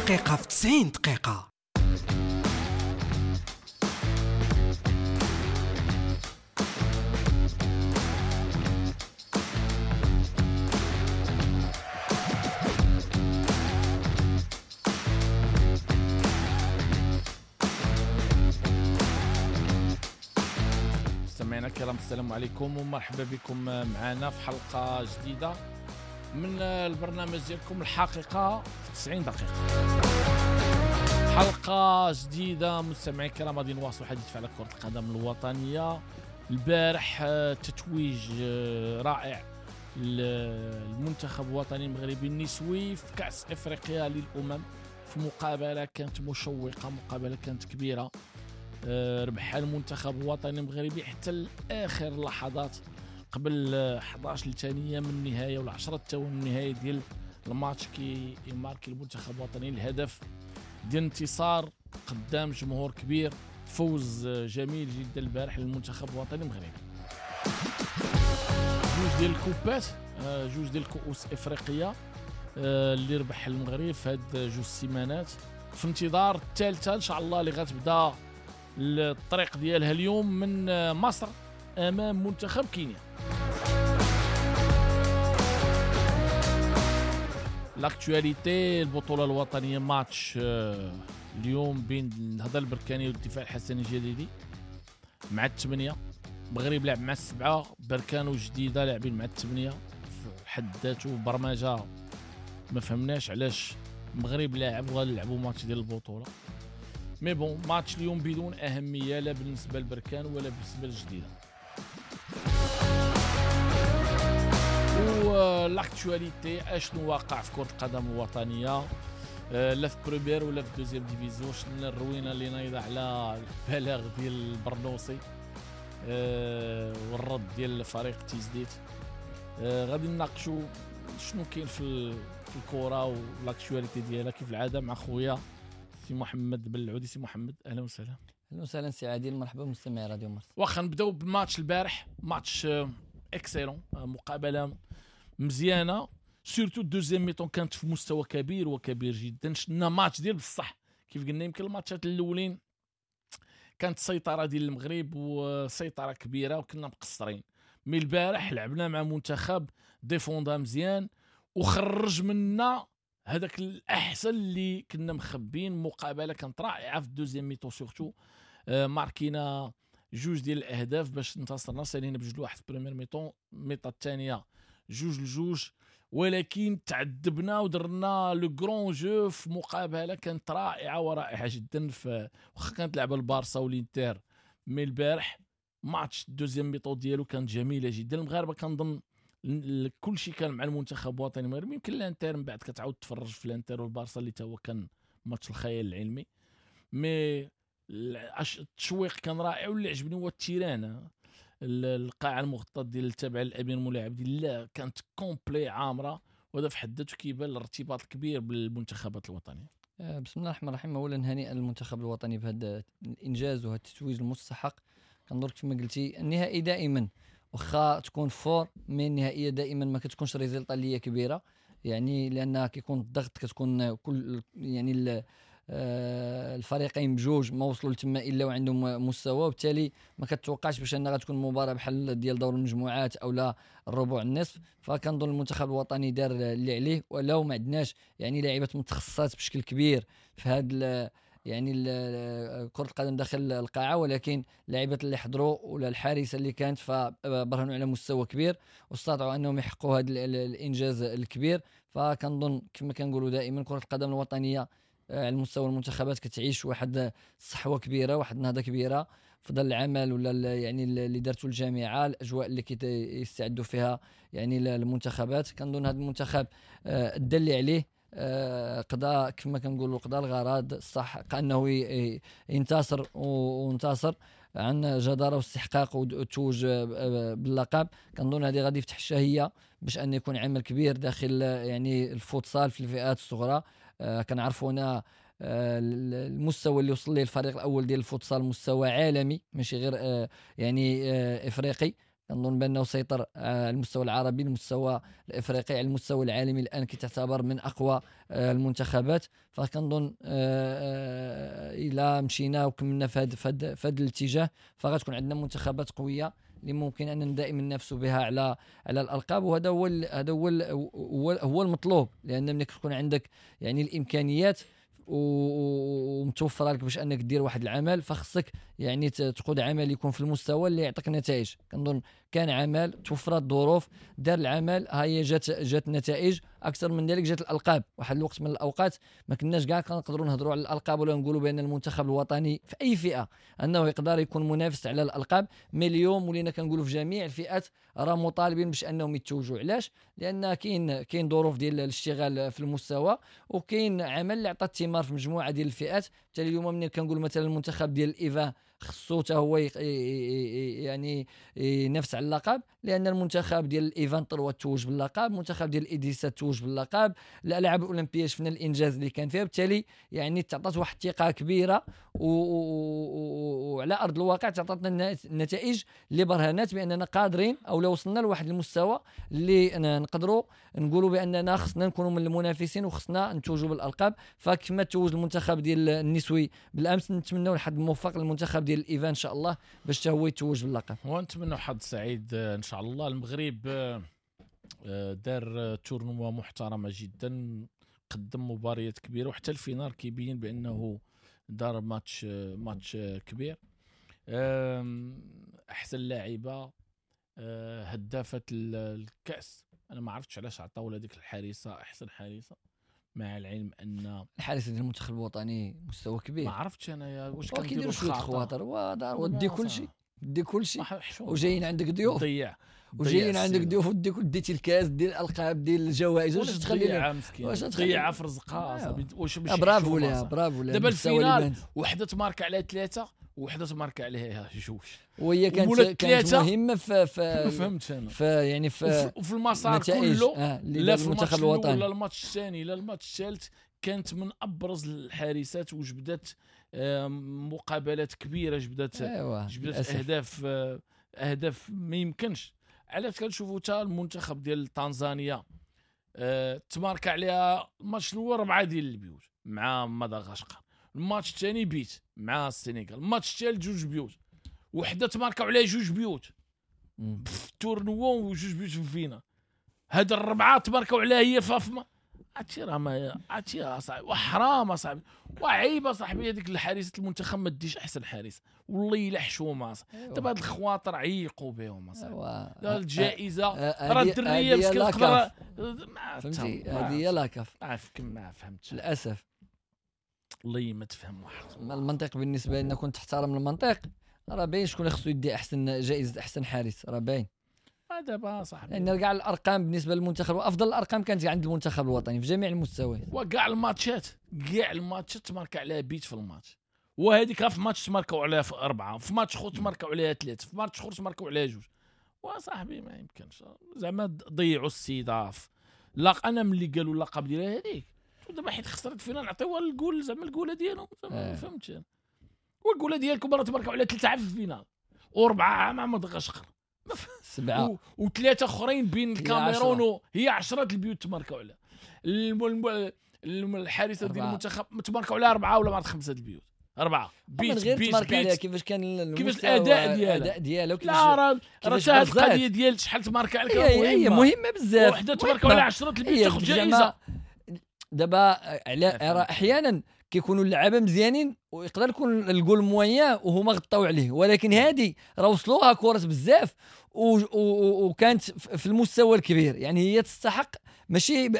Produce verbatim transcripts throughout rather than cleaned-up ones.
الحقيقة في تسعين دقيقة. مستمعينا الكرام، السلام عليكم ومرحبا بكم معنا في حلقة جديدة من البرنامج ديالكم الحقيقة في تسعين دقيقة. حلقة جديدة مستمعين الكرام، غادي نواصلوا حديث على كرة القدم الوطنية. البارح تتويج رائع للمنتخب الوطني المغربي النسوي في كأس افريقيا للأمم، في مقابلة كانت مشوقة، مقابلة كانت كبيرة، ربحها المنتخب الوطني المغربي حتى لآخر اللحظات قبل أحد عشر ثانية من النهاية ولا عشرة ثواني من النهاية ديال الماتش كي يماركي المنتخب الوطني الهدف ديال انتصار قدام جمهور كبير. فوز جميل جدا البارح للمنتخب الوطني المغربي. جوج ديال الكوبات، جوج ديال الكؤوس افريقية اللي ربح المغرب في هاد جوج سيمانات، في انتظار الثالثة ان شاء الله اللي غتبدا الطريق ديالها اليوم من مصر امام منتخب كينيا. l'actualité البطولة الوطنية، ماتش اليوم بين النهضة البركانيه والدفاع الحسني الجديدي مع الثمانية. المغرب لعب مع السبعة، بركان وجديدة لاعبين مع الثمانية. في حد ذاته برمجة ما فهمناش علاش المغرب لاعب وغنلعبوا ماتش ديال البطولة. mais bon match اليوم بدون اهمية لا بالنسبة للبركان ولا بالنسبة للجديده. و l'actualité اشنو واقع في كره القدم الوطنية، لا في première ولا في deuxième division. شفنا الروينه اللي نايضه على البلاغ ديال البرنوسي والرد ديال فريق تيزديت. غادي نناقشوا شنو كاين في في الكره و l'actualité ديالها كيف العادة مع خويا سي محمد بلعودي. سي محمد اهلا وسهلا. اهلا وسهلا سي عادل، مرحبا بمستمعي راديو مارس. واخا نبداو بماتش البارح، match excellent، مقابله مزيانه، surtout deuxième mi-temps كانت في مستوى كبير وكبير جدا. شفنا ماتش ديال بصح كيف قلنا، يمكن الماتشات الاولين كانت سيطرة ديال المغرب وسيطرة كبيرة وكنا مقصرين، mais البارح لعبنا مع منتخب défenda مزيان وخرج منا هذاك الاحسن اللي كنا مخبين. مقابله كانت رائعة في ال deuxième mi-temps surtout، ماركينا جوج ديال الاهداف باش انتصرنا، سالينا بجوج لواحد في première mi-temps، mi-temps الثانية جوج لجوج، ولكن تعذبنا ودرنا le grand jeu في مقابله كانت رائعة ورائعة جدا. في واخا كانت لعبه البارسا والانتر، mais البارح match deuxième mi-temps ديالو كانت جميلة جدا. المغاربة كنظن كل شيء كان مع المنتخب الوطني المغربي، يمكن الانتر من بعد كتعاود تفرج في الانتر والبارسا اللي تا هو كان ماتش الخيال العلمي، mais التشويق كان رائع. واللي عجبني هو ال terrain، القاعة المغطاه ديال تابعه للامير مولاي عبد الله كانت complet عامرة، وهذا في حد ذاته كيبان الارتباط الكبير بالمنتخبات الوطنية. بسم الله الرحمن الرحيم. اولا هنيئا للمنتخب الوطني بهذا الانجاز وهذا التتويج المستحق. كنظن كما قلتي النهائي دائما واخا تكون fort، mais النهائية دائما ما كتكونش résultat اللي هي كبيرة، يعني لان كيكون الضغط، كتكون كل يعني الفريقين بجوج ما وصلوا لتما الا وعندهم مستوى، وبالتالي ما كتوقعش باش انها غتكون مباراة بحال ديال دور المجموعات او لا الربع النصف. فكنظن المنتخب الوطني دار اللي عليه، ولو ما عندناش يعني لاعبات متخصصات بشكل كبير في هذا يعني كرة القدم داخل القاعة، ولكن اللاعبات اللي حضروا ولا الحارسة اللي كانت فبرهنوا على مستوى كبير واستطاعوا أنهم يحققوا هذا الإنجاز الكبير. فكنظن كما كنقولوا دائما كرة القدم الوطنية على مستوى المنتخبات كتعيش واحد الصحوة كبيرة، واحد النهضة كبيرة فضل العمل ولا يعني اللي دارته الجامعة، الأجواء اللي كيستعدوا فيها يعني المنتخبات. كنظن هذا المنتخب ادى اللي عليه، قضاء كما كنقولوا قضاء الغرض صح، انه ينتصر وانتصر عن جداره واستحقاق وتوج باللقب. كنظن هذه غادي يفتح الشهية باش ان يكون عمل كبير داخل يعني الفوتسال في الفئات الصغرى. كنعرفوا هنا المستوى اللي وصل ليه الفريق الاول ديال الفوتسال مستوى عالمي ماشي غير يعني افريقي. كنظن بانه سيطر على المستوى العربي، المستوى الافريقي، على المستوى العالمي. الان كتعتبر من اقوى المنتخبات. فكنظن الى مشينا وكملنا في هذا في هذا الاتجاه فغتكون عندنا منتخبات قوية اللي ممكن ان دائما ننافسوا بها على على الالقاب. وهذا هو هذا هو هو المطلوب، لان ملي كتكون عندك يعني الامكانيات ومتوفره لك باش انك دير واحد العمل، فخصك يعني تقود عمل يكون في المستوى اللي يعطيك نتائج. كنظن كان عمل، توفرت الظروف، دار العمل، ها هي جات جات النتائج. اكثر من ذلك جات الالقاب. واحد الوقت من الاوقات ما كناش كاع كنقدروا نهضروا على الالقاب ولا نقولوا بان المنتخب الوطني في اي فئة انه يقدر يكون منافس على الالقاب. mais اليوم ولينا كنقولوا في جميع الفئات راه مطالبين باش انهم يتوجوا. علاش؟ لان كاين كاين ظروف ديال الاشتغال في المستوى، وكاين عمل اللي عطى الثمار في مجموعة ديال الفئات. حتى اليوم ملي كنقول مثلا المنتخب ديال ال U vingt خصو حتى هو يعني ينافس على اللقب، لان المنتخب ديال ال U vingt-trois توج باللقب، المنتخب ديال ال U dix-sept توج باللقب، الالعاب الاولمبية شفنا الانجاز اللي كان فيها. بالتالي يعني تعطات واحد الثقة كبيرة، وعلى ارض الواقع تعطاتنا النتائج اللي برهنات باننا قادرين او لو وصلنا لواحد المستوى اللي نقدروا نقولوا باننا خصنا نكونوا من المنافسين وخصنا نتوجوا بالالقاب. فكما توج المنتخب ديال النسوي بالامس، نتمنوا الحظ موفق للمنتخب ديال ال U vingt ان شاء الله باش حتى هو يتوج باللقب، ونتمنوا حظ سعيد ان شاء الله. المغرب دار tournoi محترمه جدا، قدم مباريات كبيرة، وحتى ال finale كيبين بانه دار match match كبير. احسن لاعبه، هدافه الكاس، انا ما عرفتش علاش عطاو لهذيك الحارسه احسن حارسه، مع العلم ان الحارس ديال المنتخب الوطني مستوى كبير. ما عرفتش انا واش كنديروا شوية الخواطر ودي كل شيء، دي كل شيء، وجايين عندك ضيوف، ضيع وجايين عندك ضيوف ودي ديتي الكاس ديال الالقاب ديال الجوائز، واش تخلي واش تضيع في رزقها صاحبي؟ واش برافو ليها، برافو ليها. دابا ال finale وحده تمارك عليها ثلاثة وحده تمارك عليها جوج، وهي كانت كانت مهمة في في فهمت انا في يعني في وفي المسار كله، آه لا في المنتخب الوطني لا الماتش الثاني لا الماتش الثالث، كانت من ابرز الحارسات وجبدت مقابلات كبيرة، جبدت أيوة. جبدت اهداف اهداف ما يمكنش. علاش كنشوفوا حتى المنتخب ديال تنزانيا أه تمارك عليها الماتش الاول ربعه ديال البيوت مع مدغشقر، الماتش الثاني بيت مع السنغال، الماتش الثالث جوج بيوت، وحده تماركوا عليها جوج بيوت في ال tournoi وجوج بيوت في ال finale. هاد الربعه تماركوا عليها هي فافما. عرفتي راه ما عرفتي راه صاحبي، وحرام اصاحبي، وعيب اصاحبي هذيك الحارسه المنتخب ما ديش احسن حارس، والله الا حشومه اصاحبي. دابا هاد الخواطر عيقوا بهم اصاحبي. الجائزة راه الدريه مسكين تقدر، فهمتي؟ هذه هي la CAF. عارف ما فهمتش للاسف، والله ما تفهم واحد المنطق. بالنسبة لنا كنت تحترم المنطق، راه باين شكون اللي خصو يدي احسن جائزة احسن حارس، راه باين دابا صاحبي. لان كاع الارقام بالنسبة للمنتخب، وافضل الارقام كانت عند المنتخب الوطني في جميع المستويات، وكاع الماتشات كاع الماتشات تمارك عليها بيت في الماتش، وهذيك في ماتش تماركوا عليها في اربعة، في ماتش اخر تماركوا عليها ثلاثة، في ماتش اخر تماركوا عليها جوج. وصاحبي ما يمكنش زعما ضيعوا السيدة. لا انا ملي قالوا اللقب ديالها هذيك دابا حيت خسرت finale نعطيوها الجول زعما الجوله ديالهم، ما فهمتش انا. والجوله ديالكم راه تماركوا على ثلاثة في ال finale واربعة مع مدغشقر سبعة وثلاثة اخرين بين الكاميرون و... هي عشرة البيوت تماركوا عليها. الحارسه ديال المنتخب تماركوا عليها اربعة ولا ما عرفت خمسة البيوت، اربعة بيت بيت بيت عليها. كيفاش كان كيفاش الاداء ديالها، الاداء ديالها كيفاش؟ لا راه راه القضية ديال شحال تمارك عليك هي مهمة بزاف. وحده تماركوا على عشرة البيوت تاخذ جائزة. دابا على راه احيانا كيكونوا اللعابه مزيانين ويقدر يكون ال goal moyen وهما غطاو عليه، ولكن هذه راه وصلوها كرات بزاف وكانت في المستوى الكبير، يعني هي تستحق ماشي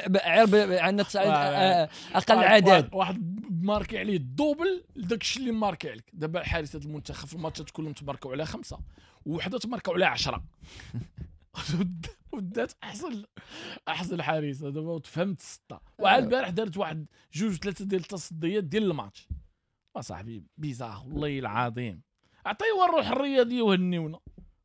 عندنا اقل عدد. واحد marqué عليه ال double داك الشيء اللي marqué عليك. دابا حارسه المنتخب في الماتشات كلهم تماركوا على خمسة ووحده تماركوا على عشرة ودات احسن احسن حارسه. دابا تفهمت ستة. وعلى البارح دارت واحد جوج ثلاثة ديال التصديات ديال الماتش. اصاحبي bizarre والله العظيم. عطيوها الروح الرياضية وهنيونا.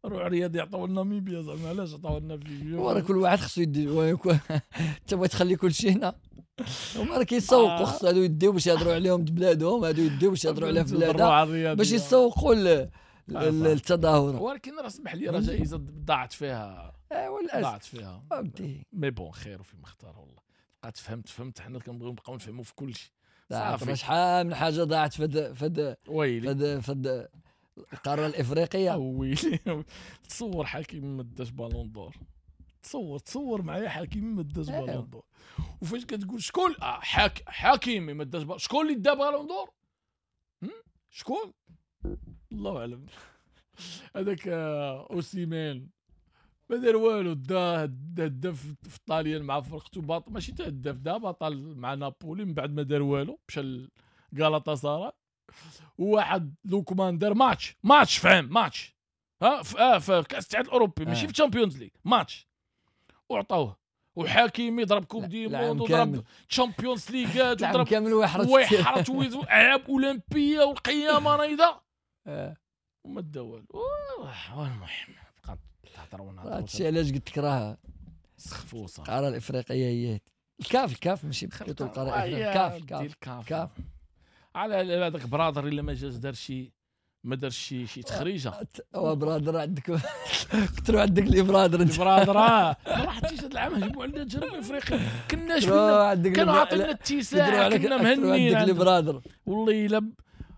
الروح الرياضية عطاو لنا ناميبيا زعما، علاش عطاو لنا فيبيا؟ وراه كل واحد خصو يدي، انت بغيت تخلي كل شيء هنا. هما راه كيسوقوا، خص هادو يديو باش يهضروا عليهم بلادهم، هادو يديو باش يهضروا عليها في بلادها، باش يسوقوا التظاهرة. ولكن راه سمح لي راه جائزة ضاعت فيها، ضاعت فيها mais bon خير فيما اختار والله. بقات فهمت فهمت حنا كنبغيو نبقاو نفهموا في كل شيء. صافي شحال من حاجة ضاعت في في في في القارة الافريقية. ويلي تصور حكيمي ما داش ballon d'or، تصور تصور معايا حكيمي ما داش ballon d'or، وفاش كتقول شكون آه حاك حكيمي ما داش شكون اللي دا ballon d'or؟ شكون؟ الله اعلم. هذاك اوسيمان ما دار والو، دا دا في الطاليان مع فرقته باط ماشي تهدف، دا بطل مع نابولي، من بعد ما دار والو مشى لغالاتا سراي. وواحد لوكمان دار match match فهم ماتش ها في اه في كاس الاتحاد الاوروبي ماشي في Champions League match، وعطاوه. وحكيمي ضرب Coupe du Monde وضرب Champions League وضرب كامل ويحرث ويحرث والعاب اولمبيه والقيامه نايضه وما دا والو. المهم بقى تهضروا ونهضروا. هادشي علاش قلت لك راه سخفوا صافي. القارة الافريقية هي الكاف، الكاف ماشي plutôt القارة الافريقية، الكاف الكاف الكاف. على هذاك برادر الا ما جاش دار شي ما دار شي شي تخريجه. وا برادر عندك كثروا عندك les برادر انت برادر. ما راحتيش هذا العام هجموا عندنا جنوب افريقيا، كناش كانوا عاطينا الاتساع، كنا مهنيين عندك les برادر. والله الا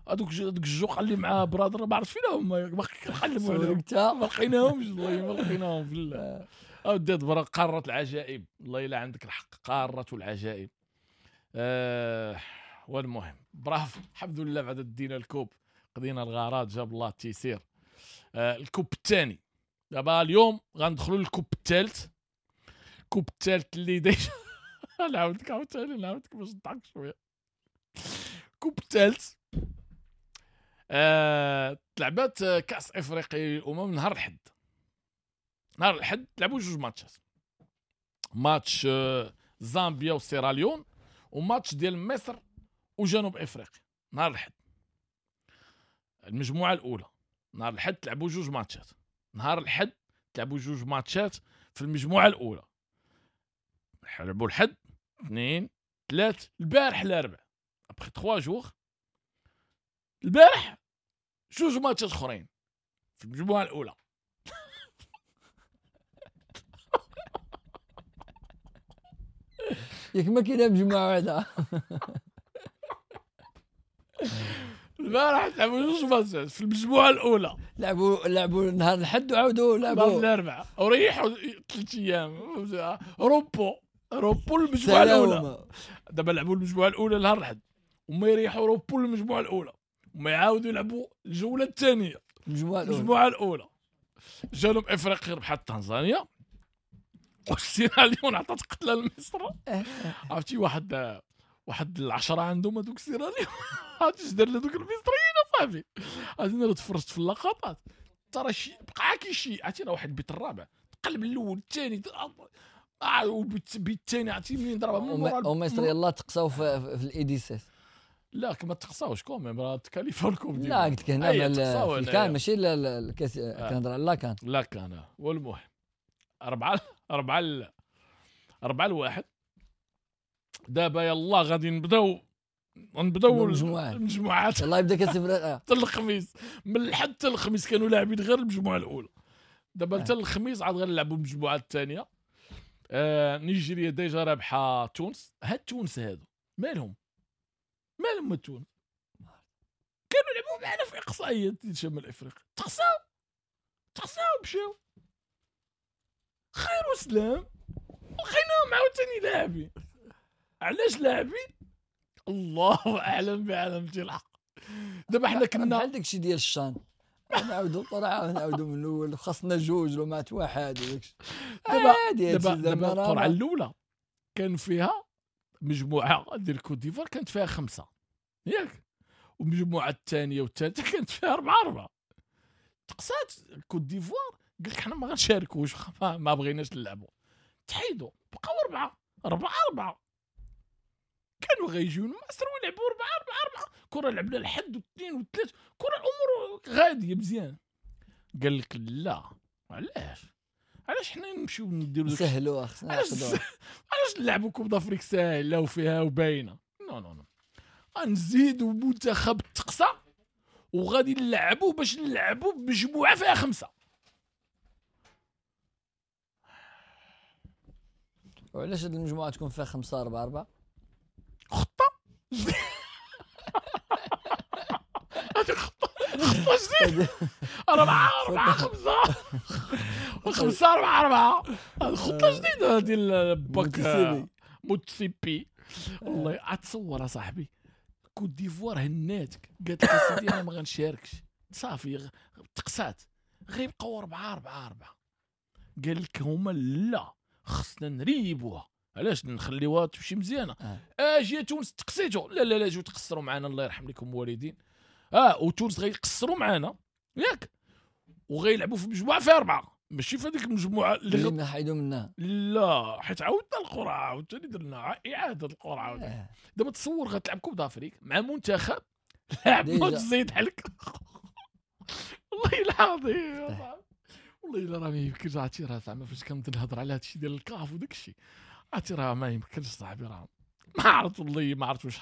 هذوك هذوك الجوق اللي مع برادر ما عرفت فين هما، باقي كنقلبوا عليهم ما لقيناهمش والله ما لقيناهم في الله. اودي قارة العجائب، والله الا عندك الحق، قارة العجائب. آه والمهم برافو الحمد لله بعد دينا ال coupe، قضينا الغارات، جاب الله التيسير. آه ال coupe الثاني دابا اليوم غندخلوا لل coupe الثالث. ال coupe الثالث اللي déjà نعاودك عاوتاني نعاودك باش نضحك شوية. ال coupe الثالث آه تلعبات كاس افريقيا للامم نهار الحد. نهار الحد تلعبوا جوج ماتشات، ماتش آه زامبيا وسيراليون وماتش ديال مصر وجنوب افريقيا نهار الحد. المجموعة الاولى نهار الحد تلعبوا جوج ماتشات، نهار الحد تلعبوا جوج ماتشات في المجموعة الاولى. لعبوا الحد اثنين ثلاث، البارح الاربع après ثلاثة jours البارح جوج ماتشات اخرين في المجموعة الاولى. ياك ما كاينه مجموعة واحدة. البارح لعبوا جوج ماتشات في المجموعة الاولى، لعبوا لعبوا نهار الحد وعاودوا لعبوا نهار الاربعاء وريحوا ثلاث ايام repos repos المجموعة الاولى. دابا لعبوا المجموعة الاولى نهار الحد وما يريحوا repos المجموعة الاولى وما يعاودوا يلعبوا الجولة الثانية المجموعة الاولى. المجموعة الاولى جنوب افريقيا ربحت تنزانيا والسيراليون عطات قتله لمصر. عرفتي واحد واحد العشرة عندهم هذوك السيراليون عرفتي اش دار لهذوك المصريين اصاحبي. عرفتي انا تفرجت في اللقطات ترى شي بقى كيشي، عرفتي راه واحد البيت الرابع تقلب الاول الثاني اه والبيت الثاني عرفتي منين ضربها من مورا. ومصر يلاه تقصاو في, في الاي دي ستة. لا كما تقصاوش quand même راه تكاليفاو ال coupe ديال. لا قلت لك هنا ال CAN ماشي الكاس، كنهضر على la CAN. la CAN. والمهم أربعة أربعة أربعة لواحد. دابا يلا غادي نبداو نبداو المجموعات. يلا يبدا كاس افريقيا حتى الخميس، من الحد حتى الخميس كانوا لاعبين غير المجموعة الاولى. دابا حتى الخميس عاد غنلعبوا المجموعة الثانية. آه نيجيريا déjà رابحه تونس. هاد تونس هادو مالهم مالهم تونس كانوا يلعبوا معنا في اقصائيات شمال افريقيا، تقصاو تقصاو مشاو خير وسلام لقيناهم عاوتاني لاعبين. علاش لاعبين؟ الله اعلم بعلم الحق. دابا حنا كنا بحال داكشي ديال الشان، نعاودوا القرعة نعاودوا من الاول، خاصنا جوج لو مات واحد وداكشي. دابا دابا دابا القرعة الاولى كان فيها مجموعة ديال كوت ديفوار كانت فيها خمسة ياك، والمجموعة الثانية والثالثة كانت فيها اربعة اربعة. تقصات كوت ديفوار قال لك حنا ما غنشاركوش ما بغيناش نلعبوا، تحيدوا بقاو اربعة اربعة اربعة. كانوا غيجيو مصر ويلعبوا أربعة أربعة أربعة. كرة لعبنا الحد واثنين وثلاث، كرة الأمور غادية مزيان. قال لك لا علاش علاش حنا نمشيو نديرو سهلوها، خصنا علاش علاش نلعبوا Coupe d'Afrique ساهله وفيها وباينه. non non non غنزيدوا منتخب التقصى وغادي نلعبوا باش نلعبوا بمجموعه فيها خمسة. وعلاش هاد المجموعة تكون فيها خمسة أربعة أربعة؟ خطه هذه خطه خطه جديدة، أربعة أربعة خمسة خمسة أربعة أربعة، هذه خطه جديدة ديال باك موتسيبي. والله اتصور اصاحبي كوت ديفوار هناتك قالت لك اسيدي انا ما غنشاركش صافي، تقسات غيبقاو أربعة أربعة أربعة. قال لك هما لا خصنا نريبوها، علاش نخليوها تمشي مزيانه. اجي تونس تقسيتو، لا لا لا جيو تقصروا معنا الله يرحم لكم والدين. اه وتونس غيقصروا معنا ياك، وغيلعبوا في مجموعة فيها اربعة، ماشي في هذيك المجموعة اللي غ... حيدوا منها، لا حيت عاودنا القرعة، عاوتاني درنا اعاده القرعة. آه. دابا تصور غتلعب Coupe d'Afrique مع منتخب لعب ماتش زيد حلك. والله العظيم والله الا راه ما يمكنش. عرفتي راه زعما فاش كنبدا نهضر على هادشي ديال الكاف وداك الشيء، عرفتي راه ما يمكنش صاحبي، راه ما عرفت والله ما عرفت واش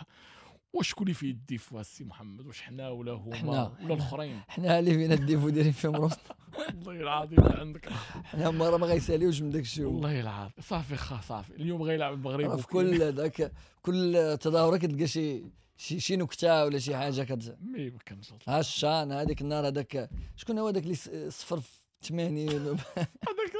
واش شكون اللي فيه ال défaut السي محمد، واش حنا ولا هما ولا الاخرين؟ حنا اللي فينا ال défaut دايرين فيهم روسنا. والله العظيم عندك حنا هما راه ما غيساليوش من داك الشيء والله العظيم. صافي خا صافي اليوم غيلعب المغرب في كل داك كل تظاهرة كتلقى شي شي شي نكتة ولا شي حاجة كت ما يمكنش. ها الشان هذيك النهار هذاك شكون هو داك اللي صفر في ثمانين هذاك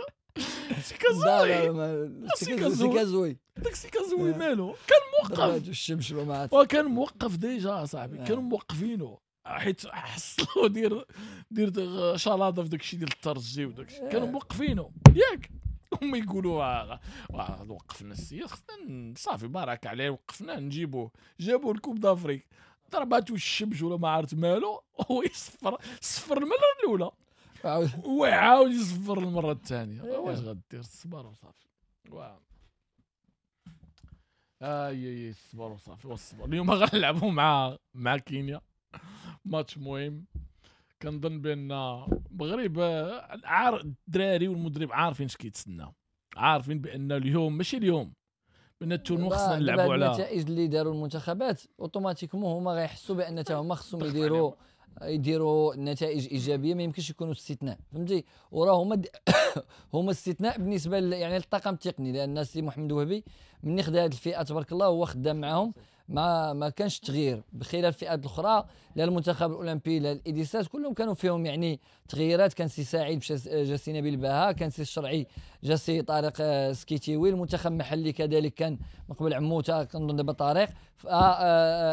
سيكازوي، سيكازوي داك سيكازوي مالو كان موقف الشمس وكان موقف déjà صاحبي، كانوا موقفينه حيت حصلوا دير دير شلاضه في داك الشيء ديال الترجي وداك الشيء، كانوا موقفينه ياك. هما يقولوا وقفنا السيد خصنا صافي بارك عليه وقفنا نجيبوه، جابوه ال Coupe d'Afrique ضرباتو الشمس ولا ما عرفت مالو، هو يصفر صفر المرة الاولى وعاود يصفر المرة الثانية. واش غدير؟ الصبر وصافي. واو اي اي الصبر وصافي والصبر. اليوم غنلعبوا مع مع كينيا ماتش مهم. كنظن بان المغرب الدراري والمدرب عارفين اش كيتسناو، عارفين بان اليوم ماشي اليوم، بان ال tournoi خصنا نلعبوا على النتائج اللي داروا المنتخبات automatiquement هما غيحسوا بان حتى هما خصهم يديروا يديروا نتائج ايجابية، ما يمكنش يكونوا استثناء فهمتي. وراه هما هما استثناء بالنسبة يعني للطاقم التقني، لان السي محمد وهبي من خدا هذه الفئة تبارك الله هو خدام معاهم، ما ما كانش تغيير بخلاف الفئات الاخرى، لا المنتخب الاولمبي لا الاديسات كلهم كانوا فيهم يعني تغييرات. كان سي سعيد مشى جا سي نبيل باها، كان سي الشرعي جا سي طارق سكيتيوي، المنتخب المحلي كذلك كان من قبل عموتة كنظن دابا طارق.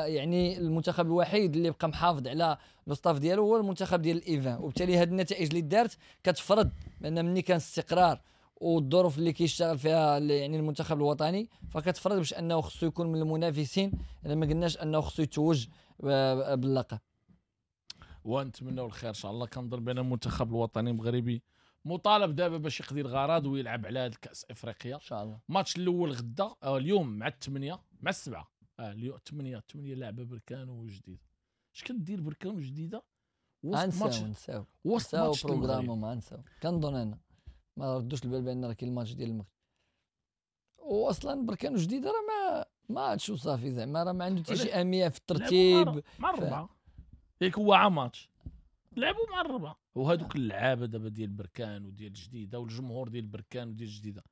يعني المنتخب الوحيد اللي بقى محافظ على le staff ديالو هو المنتخب ديال ال U vingt، وبالتالي هذه النتائج اللي دارت كتفرض بان ملي كان استقرار والظروف اللي كيشتغل فيها يعني المنتخب الوطني فكتفرض باش انه خصو يكون من المنافسين، الا ما قلناش انه خصو يتوج باللقب. ونتمنوا الخير ان شاء الله. كنظن بان المنتخب الوطني المغربي مطالب دابا باش يقضي الغرض ويلعب على هذا الكاس افريقيا ان شاء الله. الماتش الاول غدا آه اليوم مع الثمانية مع السبعة اه اليوم ثمانية ثمانية لعبه بركان وجديد. اش كدير بركان وجديدة وسط ماتش وسط ماتش programme ما نساو كنظن انا ما ردوش البال بان راه كاين الماتش ديال المغرب، واصلا بركان جديدة راه ما ماتش وصافي زعما راه ما عنده حتى شي اهمية في الترتيب. مع الربعه ياك هو عام ماتش لعبوا مع الربعه، وهذوك اللعابه دابا ديال بركان وديال الجديدة والجمهور ديال بركان وديال الجديدة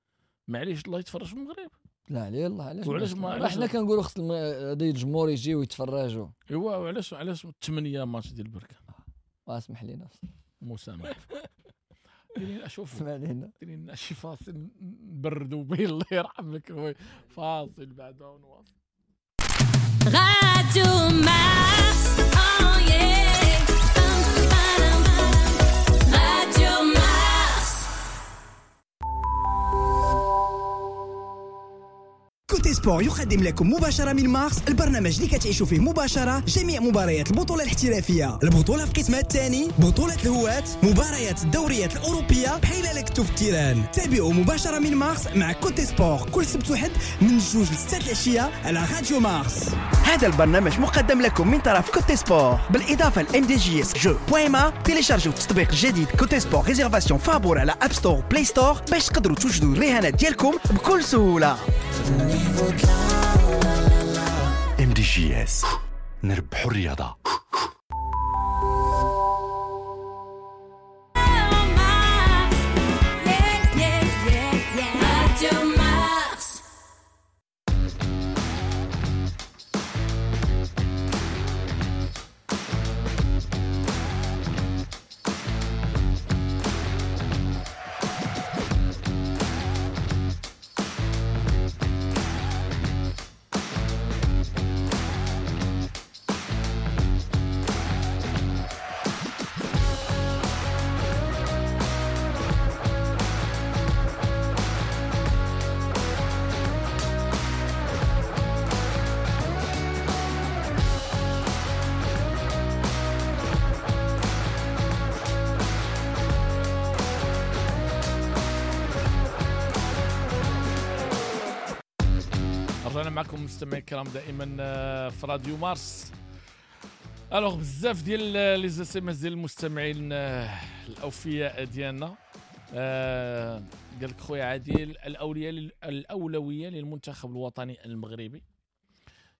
معليش الله يتفرج في المغرب. لا عليه الله علاش وعلاش ما حنا كنقولوا خص هذا الجمهور يجي ويتفرجوا. ايوا وعلاش علاش ثمانية ماتش ديال بركان؟ واسمح لينا مسامح ديري اشوف ديري لنا شي فاصل نبردوا به الله يرحمك. فاصل بعدها ونواصل. راديو مارس oh yeah راديو مارس. كوتي سبور يقدم لكم مباشرة من مارس البرنامج اللي كتعيشوا فيه مباشرة جميع مباريات البطولة الاحترافية، البطولة في قسمها الثاني، بطولة الهواة، مباريات الدوريات الأوروبية بحال لكتو في ال terrain. تابعوا مباشرة من مارس مع كوتي سبور كل سبت وحد من جوج لستة العشية على راديو مارس. هذا البرنامج مقدم لكم من طرف كوتي سبور بالإضافة ل إم دي جي إس جو بوين ما. تيليشارجوا التطبيق الجديد كوتي سبور réservation فابور على App Store Play Store باش تقدروا توجدوا الرهانات ديالكم بكل سهولة. إم دي جي إس نربحوا الرياضة. رجعنا معكم مستمعي الكرام دائما في راديو مارس. alors بزاف ديال les SMS ديال المستمعين الاوفياء ديالنا. آه قال لك خويا عادل الاولية الاولوية للمنتخب الوطني المغربي.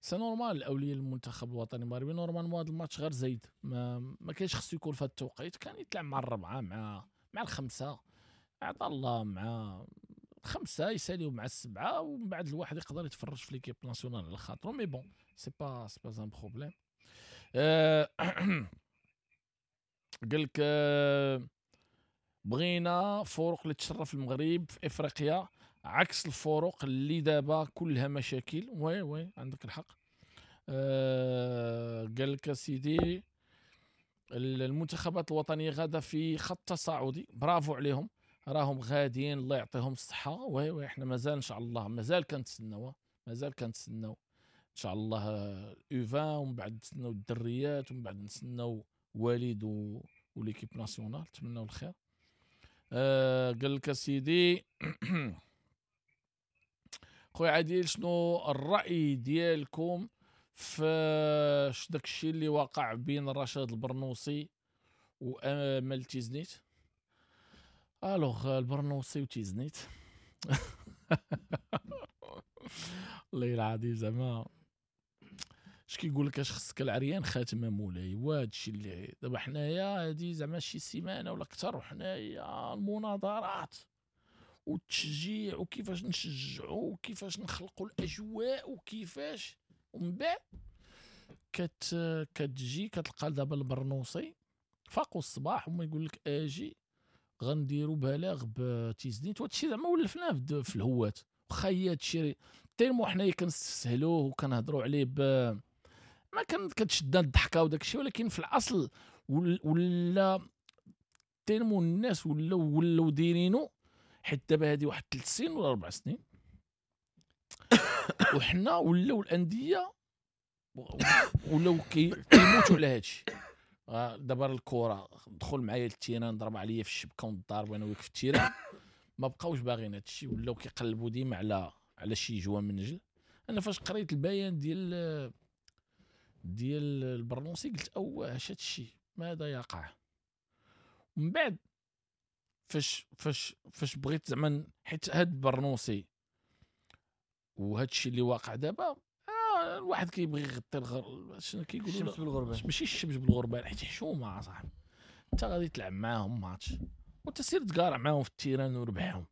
c'est normal الاولوية للمنتخب الوطني المغربي. normalement هذا الماتش غير زايد، ما ما كاينش خصو يكون في هذا التوقيت. كان يتلعب مع الربعه مع مع الخمسة، عطا الله مع خمسة يساليو مع السبعة، ومن بعد الواحد يقدر يتفرج في l'équipe nationale على خاطرو. mais bon c'est pas c'est pas un problème. قال لك بغينا فرق اللي تشرف المغرب في افريقيا عكس الفرق اللي دابا كلها مشاكل. oui oui عندك الحق. أه قال لك سيدي المنتخبات الوطنية غاده في خط تصاعدي، برافو عليهم راهم غاديين الله يعطيهم الصحة. oui oui احنا مازال ان شاء الله مازال كنتسناو مازال كنتسناو ان شاء الله U vingt، ومن بعد نتسناو الدريات، ومن بعد نتسناو وليد و l'équipe nationale. نتمناو الخير. آه قال لك سيدي خويا عادل شنو الراي ديالكم في داك الشيء اللي وقع بين رشاد البرنوصي وامل تيزنيت؟ alors البرنوصي وتيزنيت الله العظيم زعما اش كيقول لك اش خصك العريان خاتمه مولاي. وهذا الشيء اللي دابا حنايا هادي زعما شي سيمانه ولا اكثر وحنايا المناظرات والتشجيع وكيفاش نشجعوا وكيفاش نخلقوا الاجواء وكيفاش، ومن بعد كت كتجي كتلقى دابا البرنوصي فاقوا الصباح وما يقول لك اجي غنديروا بلاغ بتيزنيت. وهذا الشيء زعما ولفناه في الهوات، واخا هي هادشي tellement حنايا كنستسهلوه وكنهضروا عليه ب ما كان كتشدنا الضحكة وداك الشيء، ولكن في الاصل ولا tellement الناس ولاو ولاو دايرينو حيت دابا هادي واحد ثلاث سنين ولا اربع سنين وحنا ولاو الاندية ولاو كيموتوا على هادشي. دابا الكره دخل معايا لل terrain ضرب عليا في الشبكة ونضارب انا وياك في ال terrain، ما بقاوش باغيين هادشي، ولاو كيقلبوا ديما على على شي جوا من نجل. انا فاش قريت البيان ديال ديال البرنوصي قلت اوه اش هادشي ماذا يقع. ومن بعد فاش فاش فاش بغيت زعما حيت هاد البرنوصي وهاد الشيء اللي واقع دابا آه الواحد كيبغي يغطي الغر شنو كيقولوا الشمس بالغربال، ماشي الشمس بالغربال حيت حشومه صاحبي. انت غادي تلعب معاهم ماتش وانت سير تقارع معاهم في ال terrain وربحهم.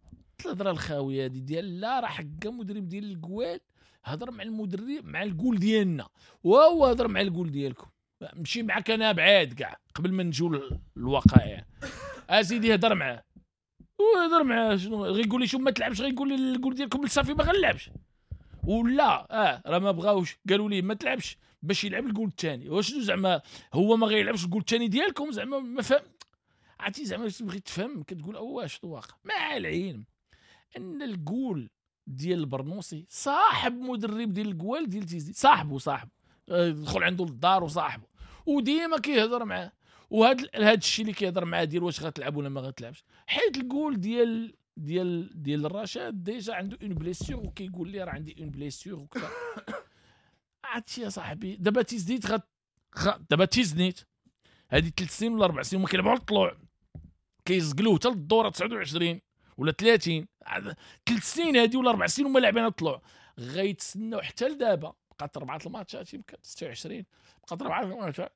الهضرة الخاويه هذه ديال لا راه حكا مدرب ديال الكوال هضر مع المدرب مع الجول ديالنا وهو هضر مع الجول ديالكم، مشي معاك انا بعاد كاع قبل ما نجيو للوقائع. اسيدي هضر معاه وهضر معاه شنو غيقول لي شو ما تلعبش، غيقول لي الجول ديالكم صافي ما غنلعبش ولا اه راه ما بغاوش قالوا لي ما تلعبش باش يلعب الجول الثاني. وشنو زعما هو ما غيلعبش الجول الثاني ديالكم زعما ما فهم عرفتي زعما بغيت تفهم كتقول اوه شنو واقع. مع العلم ان الجول ديال البرنوصي صاحب مدرب ديال الجوال ديال تيزي صاحبه صاحبه دخل عنده للدار وصاحبه وديما كيهضر معاه، وهذا هذا الشيء اللي كيهضر معاه ديال واش غتلعب ولا ما غتلعبش، حيت الجول ديال ديال ديال الرشاد déjà عنده une blessure وكيقول لي راه عندي une blessure وكذا. عرفتي يا صاحبي دابا تيزنيت غت دابا تيزنيت هذه ثلاث سنين ولا اربع سنين هما كيلعبوا على الطلوع كيزقلوه حتى للدورة تسعة وعشرين ولا ثلاثين، ثلاث سنين هذه ولا اربع سنين هما لاعبين على الطلوع، غيتسناو حتى لدابا بقات اربعة الماتشات يمكن ستة وعشرين بقات اربعة الماتشات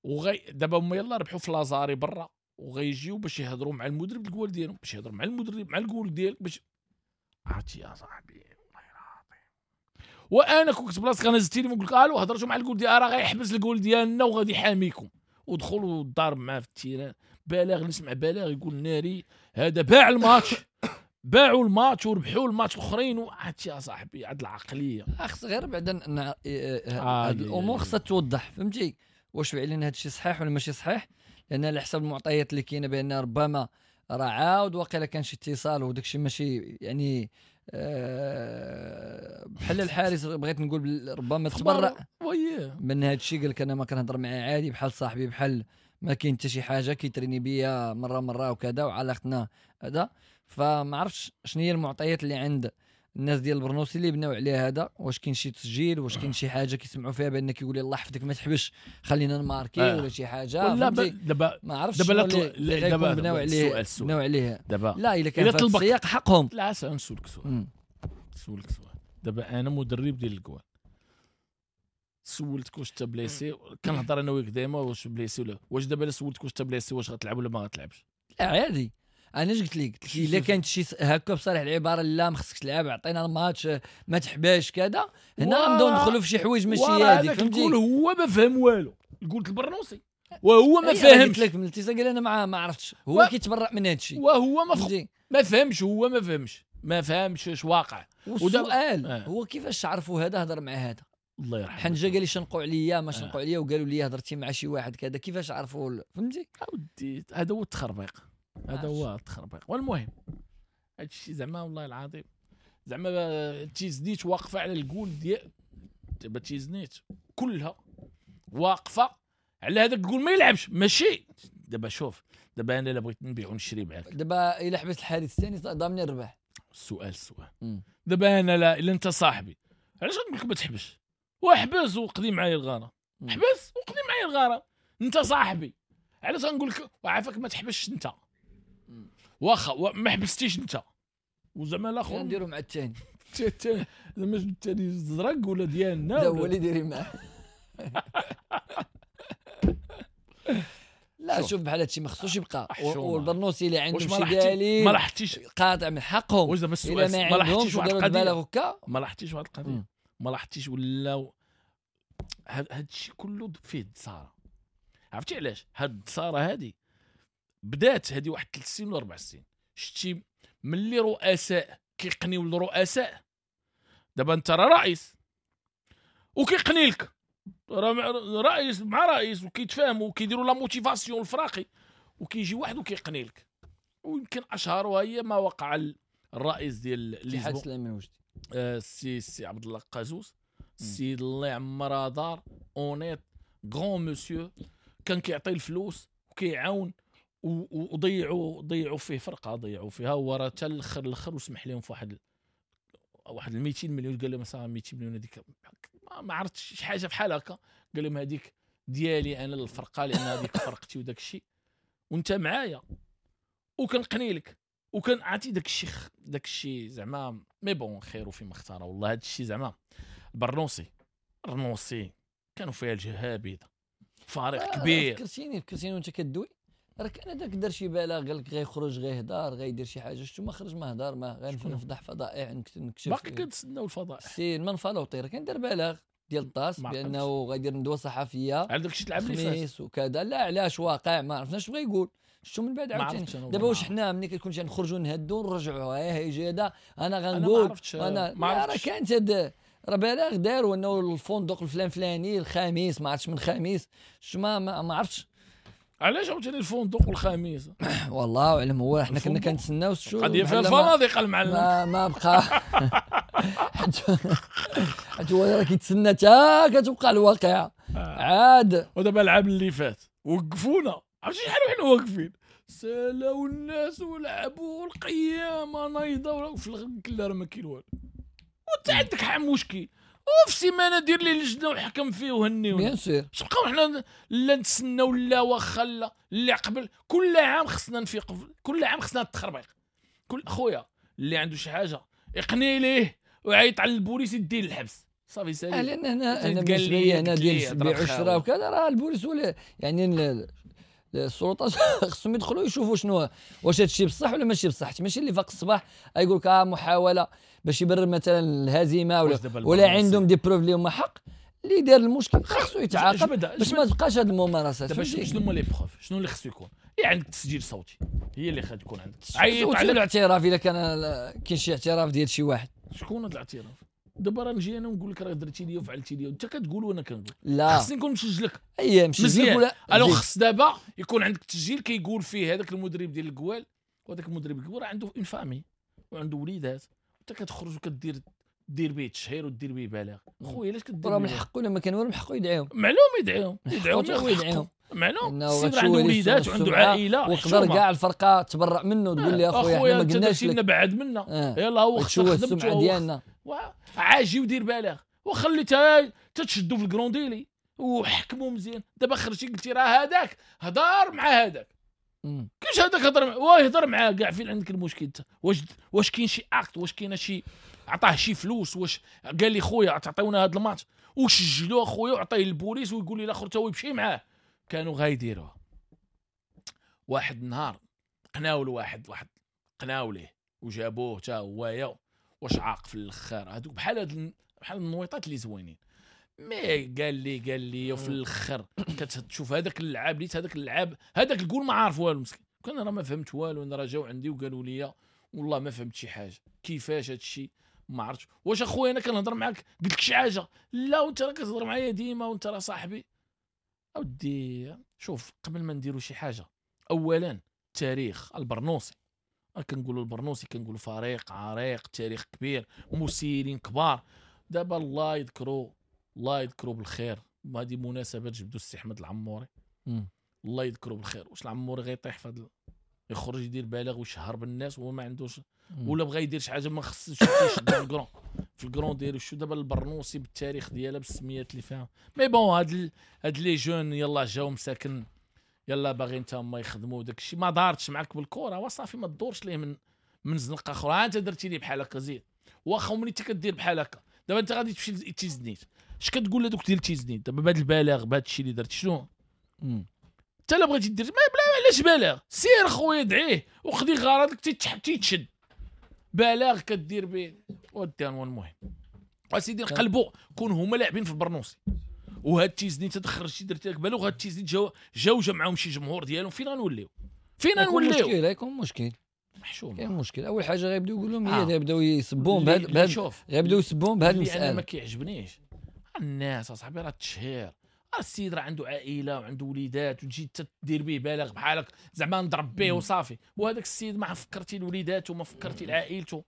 وغي دابا هما يلا ربحوا في لازاري برا وغيجيو باش يهضروا مع المدرب الجول ديالهم باش يهضروا مع المدرب مع الجول ديالك باش عرفتي يا صاحبي والله العظيم. وانا كنت بلاصتك انا زدت لي نقول لك الو هضرتوا مع الجول ديال راه غيحبس الجول ديالنا وغادي يحاميكم ودخلوا الضارب معاه في ال terrain. بلاغ نسمع بلاغ يقول ناري هذا باع الماتش باعوا الماتش وربحوا الماتش الاخرين. وعرفتي يا صاحبي عاد العقلية خص غير بعدا هاد الامور خصها توضح فهمتي واش فعلا هذا الشيء صحيح ولا ماشي صحيح، لان على حسب المعطيات اللي كاينه بان ربما راه عاود واقيلا كان شي اتصال وداك الشيء ماشي يعني أه بحال الحارس بغيت نقول ربما تبرأ من هذا الشيء قال لك انا ما كنهضر معاه عادي بحال صاحبي بحال ما كاين حتى شي حاجة كيتريني بيا مرة مرة وكذا وعلاقتنا هذا. فما عرفتش شنو هي المعطيات اللي عند الناس ديال البرنوسي اللي بناو عليه هذا، واش كاين شي تسجيل، واش كاين شي حاجة كيسمعوا فيها بان كيقول الله يحفظك ما تحبش خلينا نماركي آه. ولا شي حاجة، ولا دابا ما عرفتش دابا دابا بناو عليه بناو عليه دابا. لا الا كان في السياق حقهم. لا نسولك سؤال، نسولك سؤال دابا انا مدرب ديال الكوال، سولتك واش انت blessé، كنهضر انا وياك دائما واش blessé ولا واش دابا الا سولتك واش انت blessé واش غتلعب ولا ما غتلعبش؟ لا عادي. انا اش قلت لك؟ قلت لك الا كانت شي هكا بصريح العبارة لا ما خصكش تلعب، عطينا الماتش ما تحباش كذا، هنا غنبداو ندخلوا في شي حوايج ماشي هذيك، فهمتي؟ هو ما فهم والو، قلت البرنوسي وهو ما فهمش. قلت لك من الاتصال قال انا ما ما عرفتش، هو و... كيتبرأ من هذا الشيء وهو ما فهم، ما فهمش، هو ما فهمش ما فهمش اش واقع. والسؤال آه. هو كيفاش عرفوا هذا هضر مع هذا؟ الله يرحمه حنجه قال لي شنقوا عليا ما شنقوا عليا وقالوا لي هضرتي مع شي واحد كذا، كيفاش عرفوا؟ فهمتي؟ اودي هذا هو التخربيق، هذا هو التخربيق. والمهم هذا الشيء زعما والله العظيم زعما تيزنيت واقفة على الجول ديال دابا، تيزنيت كلها واقفة على هذاك الجول ما يلعبش. ماشي دابا شوف دابا انا الا بغيت نبيع ونشري معاك دابا، الا حبست الحارس الثاني ضامني الربح. السؤال السؤال دابا انا لا الا انت صاحبي علاش غنقول لك ما تحبش؟ وحبس وقضي معايا الغارة، حبس وقضي معايا الغارة، انت صاحبي علاش غنقول لك وعافاك ما تحبسش انت؟ واخا ما حبستيش انت وزعما الاخر نديرو مع الثاني الثاني زعما الثاني زرق ولا ديالنا لا هو اللي ديري معاه. لا شوف بحال هادشي ما خصوش يبقى. والبرنوسي اللي عنده شي دليل ما لاحظتيش قاطع من حقهم. واش دابا السؤال ما لاحظتيش واحد القضية؟ ما لاحظتيش واحد القضية؟ ما لاحظتيش ولا هاد الشيء كله فيه الدساره؟ عرفتي علاش هاد الدساره هادي بدات هادي واحد ثلاث سنين ولا اربع سنين؟ شتي ملي رؤساء كيقنيو الرؤساء، دابا انت راه رئيس وكيقني لك رئيس مع رئيس وكيتفاهموا وكيديروا la motivation الفراقي، وكيجي واحد وكيقني لك. ويمكن اشهرها هي ما وقع الرئيس ديال الاتحاد سليمان وجدي، السي السي عبد الله قازوز، السيد الله يعمرها دار، honnête grand monsieur، كان كيعطي الفلوس وكيعاون وضيعوا ضيعوا فيه فرقه، ضيعوا فيها هو راه حتى الاخر الاخر وسمح لهم في واحد واحد مئتين مليون. قال لهم مثلا مئتين مليون هذيك ما عرفتش شي حاجة بحال هكا، قال لهم هذيك ديالي انا للفرقة لان هذيك فرقتي وداك الشيء وانت معايا وكنقني لك وكان عطي داك الشيء داك الشيء زعما. mais bon خير فيما اختار والله. هذا الشيء زعما البرنوسي البرنوسي كانوا فيها الجهابيده، فريق آه كبير. فكرتيني فكرتيني وانت كدوي، راه كان هذاك دار شي بالاغ قال لك غيخرج غيهدار غيدير شي حاجة، شتو ما خرج ما هدار ما غنفضح فضائع نكتشف. باقي كنتسناو الفضائح. سي المنفلوطي راه كان دار بالاغ ديال الطاس بانه غيدير ندوه صحفية على داك الشيء تلعب اللي فات وكذا. لا علاش واقع ما عرفناش بغا يقول شتو من بعد عاوتاني. دابا واش حنا ملي كتكون شي نخرجوا نهدوا نرجعوا ها هي هذا انا غنقول انا راه كانت هاد راه بالاغ داروا انه الفندق الفلان فلاني الخميس ما عرفتش من خميس شو ما ما عرفتش علاش عاوتاني الفندق والخميس. والله اعلم. هو حنا كنا كنتسناو شو قضية في الفنادق المعلم ما, ما بقى حيت هو راه كيتسنى حتى كتوقع الواقعة عاد. ودابا العام اللي فات وقفونا، عرفتي شحال وحنا واقفين سالاو الناس ولعبوا القيامة نايضه وفي الاخر راه ما كاين والو. وانت عندك حق مشكل وفي سيمانه دير لي لجنة وحكم فيه وهنيونا. bien sûr تبقاو حنا لا نتسناو لا واخا لا اللي قبل. كل عام خصنا نفيق، كل عام خصنا التخربيق. كل خويا اللي عنده شي حاجة يقني ليه ويعيط على البوليس يديه للحبس صافي سالي. لان هنا انا بالنسبة لي انا ديال البيع والشراء وكذا راه البوليس ولا يعني السلطات خصهم يدخلوا يشوفوا شنو واش هادشي بصح ولا ماشي بصح. ماشي اللي فاق الصباح يقول لك اه محاولة باش يبرر مثلا الهزيمة ولا ولا عندهم des preuves اللي هما حق. اللي دار المشكل خصو يتعاقب باش ما تبقاش هاد الممارسات. دابا شنو هما les preuves، شنو اللي خصو يكون؟ اللي عندك تسجيل صوتي هي اللي خا تكون عندك. عيط على الاعتراف الا كان كاين شي اعتراف ديال شي واحد. شكون هذا الاعتراف؟ دابا راه نجي انا ونقول لك راه درتي لي وفعلتي لي، انت كتقول وانا كنقول. لا خصني نكون مسجلك. اي مسجلك ولا alors خص دابا يكون عندك تسجيل كيقول فيه هذاك المدرب ديال الكوال، وهذاك المدرب الكوال راه عنده une famille وعنده وليدات، انت كتخرج وكدير دير به تشهير ودير به بلاغ. خويا علاش كدير؟ راه من حقه، لما كان والو من حقه يدعيهم. معلوم يدعيهم، يدعيهم يدعيهم معلوم. السيد عنده وليدات وعنده عائلة، وقدر كاع الفرقة تبرأ منه تقول لي اخويا حنا ما قلناش لك بعد منا آه. يلا هو خسر السمعة ديالنا، عاجي ودير بلاغ وخليتها تتشدوا في ال grand délai وحكموا مزيان. دابا خرجتي قلتي راه هذاك هضر مع هذاك، كيفاش هذاك هضر مع واه يهضر معاه كاع؟ فين عندك المشكل انت؟ واش واش كاين شي acte؟ واش كاين شي عطاه شي فلوس؟ واش قال لي خويا تعطيونا هذا الماتش وسجلوه خويا وعطية للبوليس ويقول لي الاخر تا هو يمشي معاه؟ كانوا غايديروها. واحد النهار قناو لواحد واحد قناو ليه وجابوه تا هو واش عاق في الاخر. هذوك بحال هاد بحال النويطات اللي زوينين. mais قال لي قال لي وفي الاخر كتشوف هذاك اللعاب ليت هذاك اللعاب هذاك الجول ما عارف والو مسكين. كان راه ما فهمت والو، انا راه جاو عندي وقالوا لي والله ما فهمت شي حاجة، كيفاش هذا الشيء ما عرفتش. واش اخويا انا كنهضر معاك قلت لك شي حاجة؟ لا وانت راه كتهضر معايا ديما وانت راه صاحبي. اودي شوف، قبل ما نديروا شي حاجة اولا التاريخ البرنوسي، كنقولوا البرنوسي كنقولوا فريق عريق، تاريخ كبير، مسيرين كبار. دابا الله يذكروا الله يذكروا بالخير، هذه مناسبة جبدوا السي احمد العموري، الله يذكروا بالخير. واش العموري غيطيح في هذا يخرج يدير بلاغ ويشهر بالناس وهو ما عندوش، ولا بغى يدير شي حاجة ما خصش يشد في ال grand في ال grand ديالو. شو دابا البرنوسي بالتاريخ ديالها بالسميات اللي فيها. mais bon هاد ال... هاد les jeunes يلا جاو مساكن، يلا باغيين تا هما يخدموا داك الشيء. ما دارتش معاك بالكرة وصافي، ما تدورش ليه من من زنقه اخرى. انت درتي لي بحال هكا زيد، واخا ملي انت كدير بحال هكا دابا انت غادي تمشي لتيزنيت، اش كتقول لهذوك ديال تيزنيت دابا بهذا البلاغ بهذا الشيء اللي درت؟ شنو انت لا بغيتي دير ما بلا علاش بلاغ؟ سير خويا دعيه وخدي غرضك تيتشد بلاغ كدير به ودي. المهم اسيدي نقلبوا كون هما لاعبين في البرنوسي وهاد تيزنيت تخرجتي درتي لك بلاغ، وهاد تيزنيت جاو جاو جا معاهم شي جمهور ديالهم، فين غنوليو؟ فين غنوليو؟ مشكل غيكون مشكل محشوم. كاين مشكل. اول حاجة غيبداو يقولوا لهم هي غيبداو يسبون بهاد بهاد غيبداو يسبون بهاد المسالة. انا ما كيعجبنيش الناس اصاحبي، راه التشهير، راه السيد راه عنده عائلة وعنده وليدات، وتجي تدير به بلاغ بحالك زعما نضرب به وصافي، وهذاك السيد ما فكرتي لوليداته، ما فكرتي لعائلته،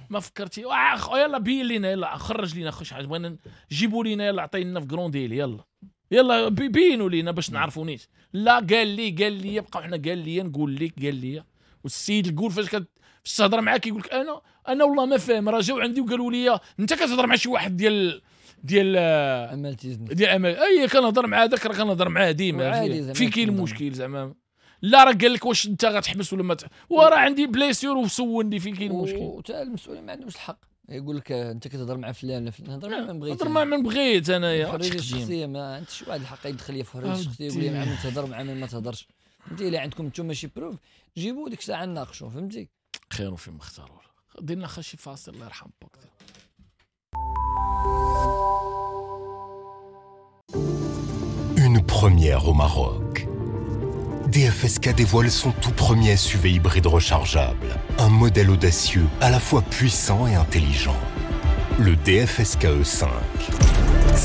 ما فكرتي يلا بين لينا، يلا خرج لينا خش حاجة بغينا جيبوا لينا، يلا عطينا في grand délai، يلا يلا بينوا لينا باش نعرفوا نيت. لا قال لي قال لي بقاو حنا قال لي نقول لك قال لي. والسيد الكول فاش كتهضر معاه كيقول لك انا انا والله ما فاهم، راه جاو عندي وقالوا لي انت كتهضر مع شي واحد ديال ديال امال تيزنيت ديال امال، اي كنهضر مع هذاك راه كنهضر معاه ديما، في كاين المشكل زعما. لا راه قال لك واش انت غتحبس ولا ما ت... وراه عندي blessure وسولني فين كاين المشكل. وتا المسؤولين ما عندهمش الحق يقول لك انت كتهضر مع فلان ولا فلان، نهضر مع من بغيت، نهضر مع من بغيت انايا. الحرية الشخصية ما عندش واحد الحق يدخل لي في الحرية الشخصية يقول لي مع من تهضر مع من ما تهضرش. انت الا عندكم نتوما شي preuve جيبوا ديك الساعة نناقشوا، فهمتي؟ خير فيما اختاروا. دير لنا شي فاصل الله يرحم باك. Une première au Maroc. D F S K dévoile son tout premier S U V hybride rechargeable. Un modèle audacieux, à la fois puissant et intelligent. Le D F S K E cinq.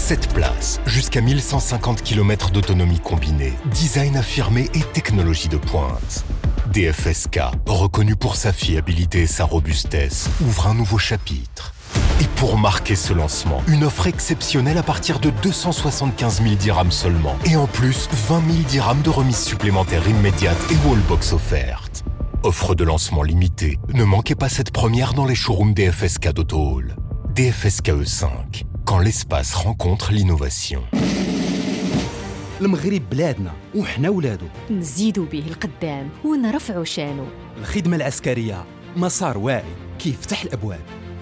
sept places, jusqu'à mille cent cinquante kilomètres d'autonomie combinée, design affirmé et technologie de pointe. D F S K, reconnu pour sa fiabilité et sa robustesse, ouvre un nouveau chapitre. Et pour marquer ce lancement, une offre exceptionnelle à partir de deux cent soixante-quinze mille dirhams seulement. Et en plus, vingt mille dirhams de remise supplémentaire immédiate et wallbox offerte. Offre de lancement limitée. Ne manquez pas cette première dans les showrooms D F S K d'Auto Hall. D F S K E cinq, quand l'espace rencontre l'innovation. المغرب بلادنا وحنا ولادو، نزيدو به القدام ونرفعو شانو. الخدمة العسكرية مسار واعي كيفتح الأبواب،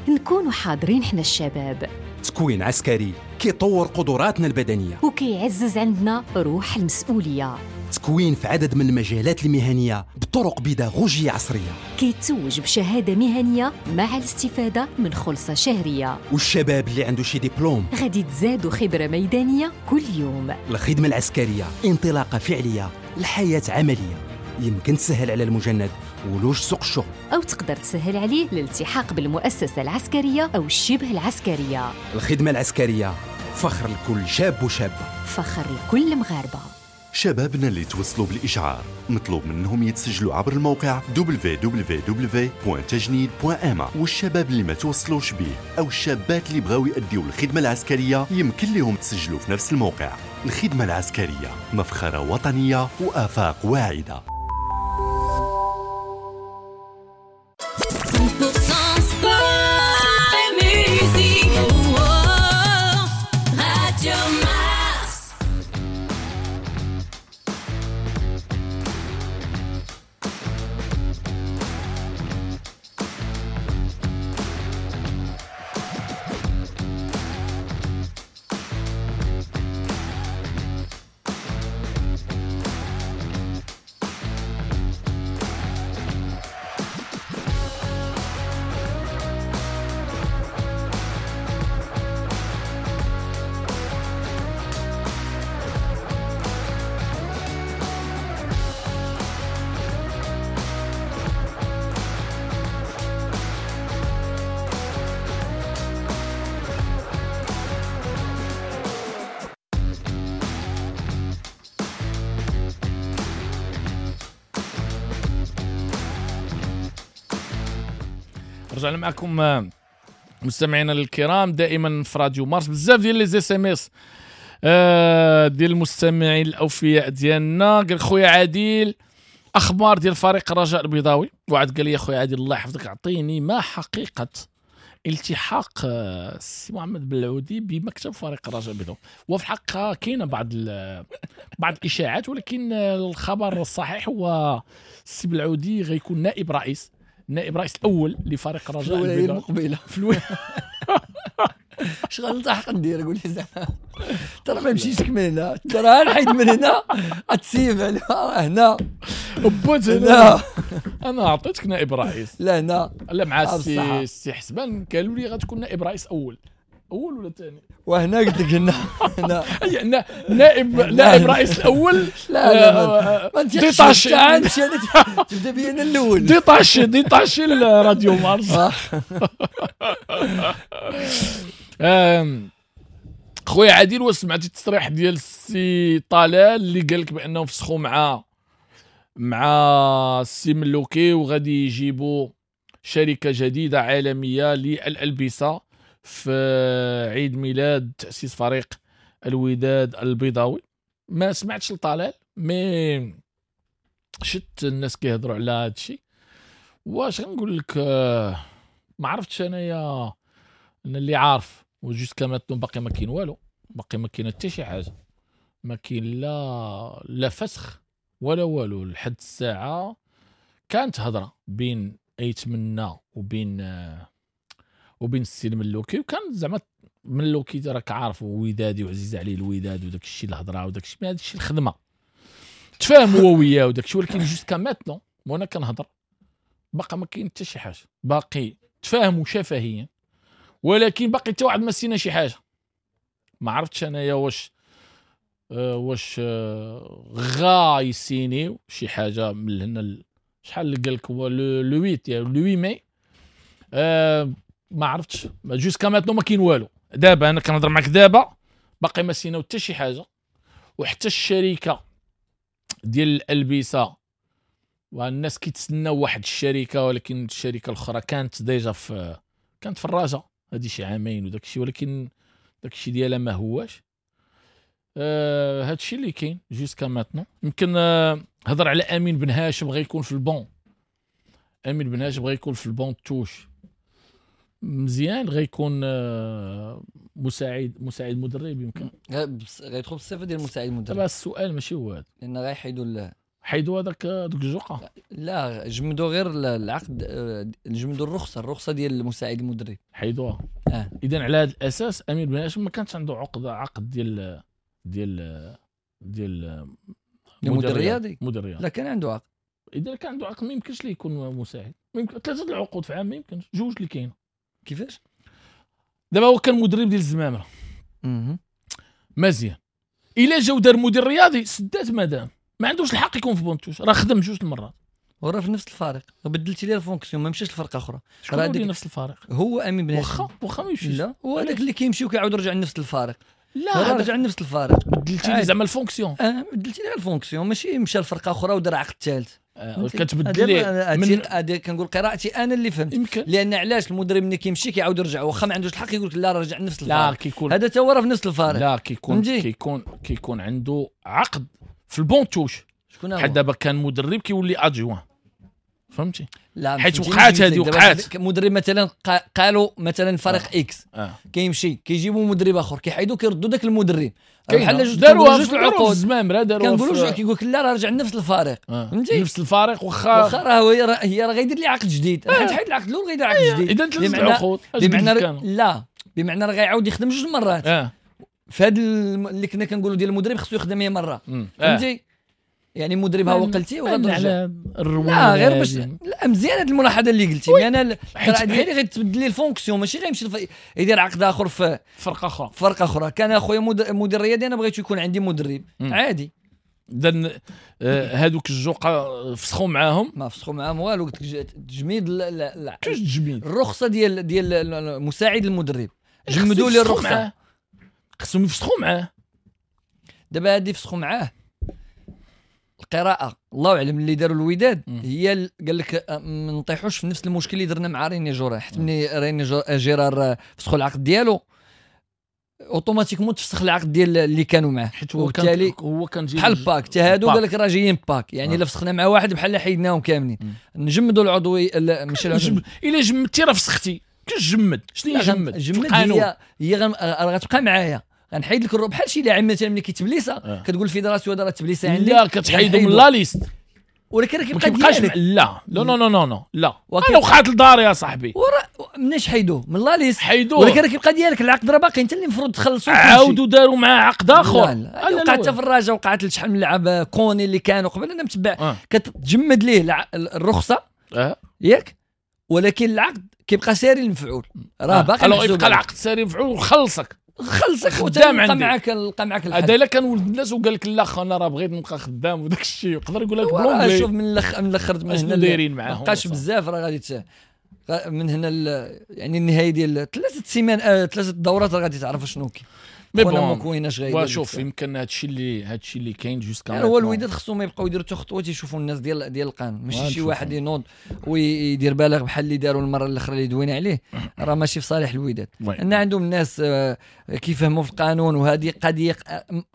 نكونوا حاضرين حنا الشباب. تكوين عسكري كيطور قدراتنا البدنية وكيعزز عندنا روح المسؤولية. تكوين في عدد من المجالات المهنية بطرق بيداغوجية عصرية، كيتوج بشهادة مهنية مع الاستفادة من خلصة شهرية. والشباب اللي عنده شي دبلوم غادي تزادوا خبرة ميدانية كل يوم. الخدمة العسكرية انطلاقة فعلية لحياة عملية يمكن تسهل على المجند ولوج سوق الشغل، أو تقدر تسهل عليه الالتحاق بالمؤسسة العسكرية أو الشبه العسكرية. الخدمة العسكرية فخر لكل شاب وشابة، فخر لكل مغاربة. شبابنا اللي توصلوا بالإشعار مطلوب منهم يتسجلوا عبر الموقع دبليو دبليو دبليو دوت تجنيد دوت إم إيه، والشباب اللي ما توصلوش به أو الشابات اللي بغاو يأديوا الخدمة العسكرية يمكن لهم تسجلوا في نفس الموقع. الخدمة العسكرية مفخرة وطنية وآفاق واعدة. رجعنا معكم مستمعينا الكرام دائما في راديو مارس. بزاف ديال les SMS ديال المستمعين الاوفياء ديالنا. قال خويا عادل اخبار ديال فريق الرجاء البيضاوي، وعد قال لي خويا عادل الله يحفظك اعطيني ما حقيقة التحاق السي محمد بلعودي بمكتب فريق الرجاء البيضاوي. وفي الحقيقة كاينه بعض بعض الاشاعات، ولكن الخبر الصحيح هو السي بلعودي غيكون نائب رئيس نائب رئيس الاول لفريق الرجاء البيضاوي المقبلة في الولاية. اش غنلتحق ندير؟ قول لي زعما ترى ما مشيتش من هنا، ترى نحيد من هنا غتسيب على هنا بوت هنا. انا عطيتك نائب رئيس. لا هنا لا مع السي السي حسبان قالوا لي غتكون نائب رئيس اول اول ولا ثاني، وهنا قلت لك هنا هنا نائب نائب رئيس الاول. لا لا ما نتيقش نمشي انا تبدا بيا انا الاول détaché détaché الراديو مارس. خويا عادل واش سمعتي التصريح ديال السي طلال اللي قال لك بانهم فسخوا مع مع السي ملوكي وغادي يجيبوا شركة جديدة عالمية للالبسه في عيد ميلاد تأسيس فريق الوداد البيضاوي؟ ما سمعتش لطلال mais شت الناس كيهضروا على هذا الشيء. واش غنقول لك، ما عرفتش انايا، انا اللي عارف و jusqu'à maintenant باقي ما كاين والو، باقي ما كاين حتى شي حاجة، ما كاين لا لا فسخ ولا والو. لحد الساعة كانت هضره بين ايتمنى وبين وبين السي الملوكي، وكان زعما ملوكي راك عارف ودادي وعزيز عليه الوداد وداك الشيء الهضرة وداك الشيء، هذا الشيء الخدمة تفاهم هو وياه وداك الشيء. ولكن jusqu'à maintenant وانا كنهضر باقي ما كاين حتى شي حاجة، باقي تفاهموا شفهيا ولكن باقي حتى واحد ما سينا شي حاجة. ما عرفتش انايا واش آه واش آه غا يسينيو شي حاجة من هنا. شحال اللي قال لك هو le ثمانية يعني le ثمانية ماي، آه ما عرفتش jusqu'à maintenant ما كاين والو. دابا انا كنهضر معاك دابا باقي ما سيناو حتى شي حاجة، وحتى الشركة ديال الالبسة والناس كيتسناو واحد الشركة، ولكن الشركة الاخرى كانت déjà في كانت في الرجاء هذه شي عامين وداك الشيء، ولكن داك الشيء ديالها ما هواش. آه هذا الشيء اللي كاين jusqu'à maintenant. يمكن آه هضر على امين بن هاشم غيكون في البون، امين بن هاشم غيكون في ال banc de touche مزيان، غيكون مساعد مساعد مدرب يمكن غيدخل بالصفة ديال مساعد مدرب. دابا السؤال ماشي هو هذا، لان غيحيدوا حيدوا هذاك دوك الجوقه، لا جمدوا غير العقد، جمدوا الرخصة الرخصة ديال المساعد المدرب حيدوها. آه. اذا على هذا الاساس امين بن هاشم ما كانش عنده عقد عقد ديال ديال ديال مدير رياضي مدير رياضي، لا كان عنده عقد. اذا كان عنده عقد ما يمكنش ليه يكون مساعد، ما يمكن ثلاثة العقود في عام ما يمكنش، جوج اللي كاينه. كيفاش دابا هو كان مدرب ديال الزمامره مزيان، الا جاو دار مدير رياضي سدات مادام ما عندوش الحق يكون في banc de touche، راه خدم جوج المرات وراه في نفس الفريق، بدلتي ليه ال fonction ما مشاش لفرقة اخرى، راه ديك نفس الفريق هو امين بن هاشم واخا واخا ما يمشيش، لا هو هذاك اللي كيمشي وكيعاود يرجع لنفس الفريق. لا رجع لنفس الفريق. بدلتي لي زعما ال fonction. اه بدلتي لي ال fonction، ماشي مشى لفرقة اخرى ودار عقد ثالث. آه كتبدل ليه من هذه كنقول قراءتي انا اللي فهمت يمكن. لان علاش المدرب ملي كيمشي كيعاود يرجع واخا ما عندوش الحق يقول لك لا رجع لنفس الفريق. لا كيكون هذا تا هو راه في نفس الفريق. لا كيكون كيكون كيكون عنده عقد في ال banc de touche. شكون هو؟ حيت دابا كان مدرب كيولي adjoint، فهمتي؟ لا حيت وقعات هذه وقعات. مدرب مثلا قالوا مثلا فريق آه. X آه. كيمشي كيجيبوا مدرب اخر كيحيدوا كيردوا ذاك المدرب بحال جوج داروها في العقود الزمامره داروها كنقولوا كيقول لك لا راه رجع لنفس الفريق. آه. فهمتي؟ نفس الفريق واخا واخا راه هو هي راه غيدير لي عقد جديد. آه. حيت حيد العقد الاول غيدير عقد جديد. اذا ثلاث العقود بمعنى لا بمعنى راه غيعاود يخدم جوج مرات. آه. في هذا اللي كنا كنقولوا ديال المدرب خصو يخدم هي مرة. فهمتي؟ يعني المدرب ها هو قلتي وغترجع لا غير باش لا مزيان هذه الملاحظة اللي قلتي. انا القراءة ديالي غتبدل لي ال fonction ماشي غيمشي الف... يدير عقد اخر في فرقه اخرى فرقه اخرى. كان اخويا مدير رياضي انا بغيت يكون عندي مدرب مم. عادي. اذا هادوك الجوقه فسخوا معاهم؟ ما فسخوا معاهم والو. قلت لك تجميد لا كيفاش تجميد؟ الرخصة ديال ديال مساعد المدرب جمدوا لي الرخصة. خصهم يفسخوا معاه دابا. هادي فسخوا معاه القراءة الله اعلم اللي داروا الوداد هي قال لك ما نطيحوش في نفس المشكل اللي درنا مع ريني جورا. حيت ملي ريني جيرار فسخوا العقد ديالو automatiquement تفسخ العقد ديال اللي كانوا معاه. حيت هو كان هو كان بحال pack حتى هادو قال لك راه جايين pack يعني الا فسخنا مع واحد بحال حيدناهم كاملين. نجمدوا العضوي ماشي العضوي. الا جمدتي راه فسختي. كتجمد شنو هي جمد؟ جمد هي هي غتبقى معايا غنحيد لك بحال شي لاعب مثلا ملي كيتبليسا آه. كتقول ال fédération هذا راه تبليسا عندي. لا كتحيدو من la liste ولكن راه كيبقى ديالك. لا لا non non non لا انا وقعت لداري يا صاحبي. ورا مناش حيدوه من la liste حيدوه ولكن راه كيبقى ديالك العقد راه باقي انت اللي المفروض تخلصو. عاودوا داروا معاه عقد اخر. لا لا وقعت حتى في الرجاء وقعت لشحال من لعاب كوني اللي كانوا قبل. انا متبع آه. كتجمد ليه الرخصة آه. ياك ولكن العقد كيبقى ساري المفعول راه باقي. alors يبقى العقد ساري المفعول وخلصك خلصك خدام عندي معاك لقى معاك الحل. هذا الا كان ولد الناس وقال لك لا انا راه بغيت نبقى خدام وداك الشيء يقدر يقول لك ب l'anglais. شوف من الاخ من الاخر من هنا دايرين معاهم ما بقاش بزاف راه غادي من هنا يعني النهاية ديال ثلاثة سيمان آه ثلاثة دورات راه غادي تعرف شنو كاين. mais bon مكويناش غيدير. وشوف يمكن هادشي اللي هادشي اللي كاين jusqu'à يعني هو الوداد خصهم ما يبقاو يديروا حتى خطوة تيشوفوا الناس ديال ديال القانون ماشي شي واحد ينوض ويدير بالغ بحال اللي داروا المرة الاخرى اللي دوينا عليه راه ماشي في صالح الوداد. ان عندهم الناس كيفهموا في القانون وهذه قضية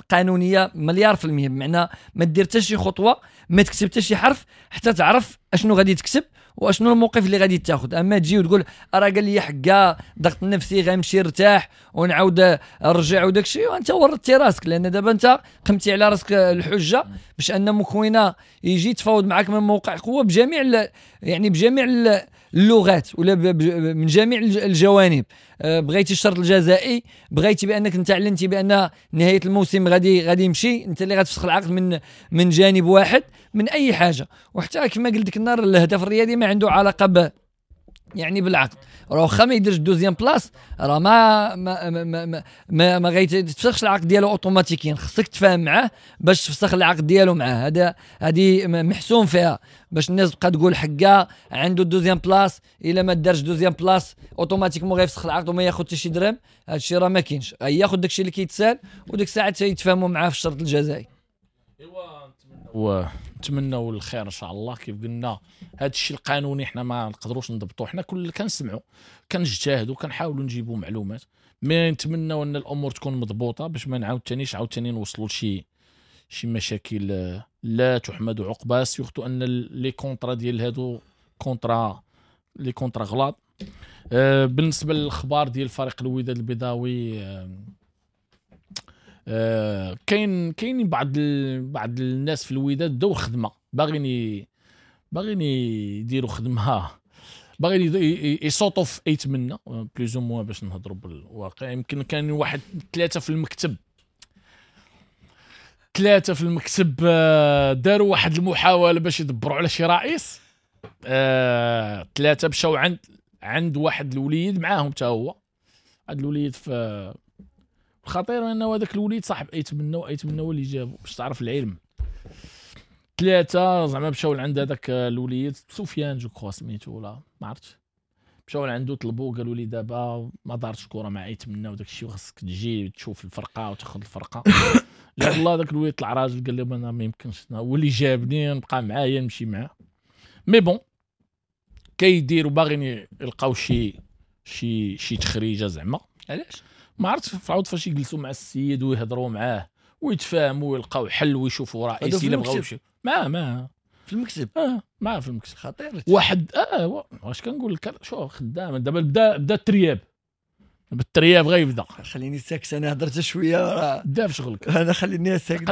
قانونية مليار في المية بمعنى ما دير حتى شي خطوة ما تكتب حتى شي حرف حتى تعرف اشنو غادي تكتب واشنو الموقف اللي غادي تاخذ. اما تجي وتقول راه قال لي حكا ضغط النفسي غنمشي نرتاح ونعاود نرجع وداك الشيء وانت ورطتي راسك لان دابا انت قمتي على راسك الحجة باش ان مكوينه يجي يتفاوض معاك من موقع قوة بجميع يعني بجميع اللغات ولا من جميع الجوانب. بغيتي الشرط الجزائي بغيتي بانك انت اعلنتي بان نهاية الموسم غادي غادي يمشي انت اللي غتفسخ العقد من من جانب واحد من اي حاجة. وحتى كما قلت لك النهار الهدف الرياضي ما عنده علاقة ب يعني بالعقد راه واخا ما يديرش deuxième place راه ما ما ما ما, ما, ما غيتفسخش العقد ديالو automatiquement. خصك تفاهم معاه باش تفسخ العقد ديالو معاه. هذا هذه محسوم فيها باش الناس تبقى تقول حكا عنده deuxième place الا ما دارش deuxième place automatiquement غيفسخ العقد وما ياخذ حتى شي درهم. هذا الشيء راه ما كاينش غياخذ داكشي اللي كيتسال وديك الساعة تيتفاهموا معاه في الشرط الجزائي. ايوا نتمنوا نتمنوا الخير ان شاء الله. كيف قلنا هذا الشيء القانوني حنا ما نقدروش نضبطوه، حنا كل كنسمعوا كنجتهدوا كنحاولوا نجيبوا معلومات، mais نتمنوا ان الامور تكون مضبوطة باش ما نعاود ثانيش عاوتاني نوصلوا لشي شي مشاكل لا تحمد عقبها، surtout ان les contrats ديال هادو contrats les contrats غلاط. بالنسبة للاخبار ديال فريق الوداد البيضاوي، آه كاين كاينين بعض ال... بعض الناس في الوداد بداو خدمة، باغيين باغيين يديروا خدمة، باغيين يصوتوا في ايت منا plus ou moins باش نهضروا بالواقع. يمكن كان واحد ثلاثة في المكتب ثلاثة في المكتب داروا واحد المحاولة باش يدبروا على شي رئيس. آه ثلاثة مشاو عند عند واحد الوليد معاهم حتى هو، هذا الوليد في الخطير انه هذاك الوليد صاحب ايت منا وايت منا هو اللي جابو باش تعرف العلم. ثلاثة زعما مشاو لعند هذاك الوليد سفيان je crois سميتو ولا ما عرفتش، مشاو لعندو طلبوا قالوا لي دابا ما دارتش كره مع يتمنى وداك الشيء وخاصك تجي تشوف الفرقة وتاخذ الفرقة. جاب الله داك الوليد طلع راجل قال لهم انا ما يمكنش، هو اللي جابني نبقى معاه نمشي معاه. mais bon كيديروا باغيين يلقاو شي شي شي تخريجه زعما. علاش ما عرفت، فعاود فاش يجلسوا مع السيد ويهضروا معاه ويتفاهموا ويلقاو حل ويشوفوا رئيس الا بغاو شي معاه معاه في المكتب. اه معاه في المكتب خطير واحد. اه واش كنقول لك شوف خدام دابا بدا بدا الترياب بالترياب غيبدا. خليني ساكت انا هضرت شوية راه بدا في شغلك. انا خليني ساكت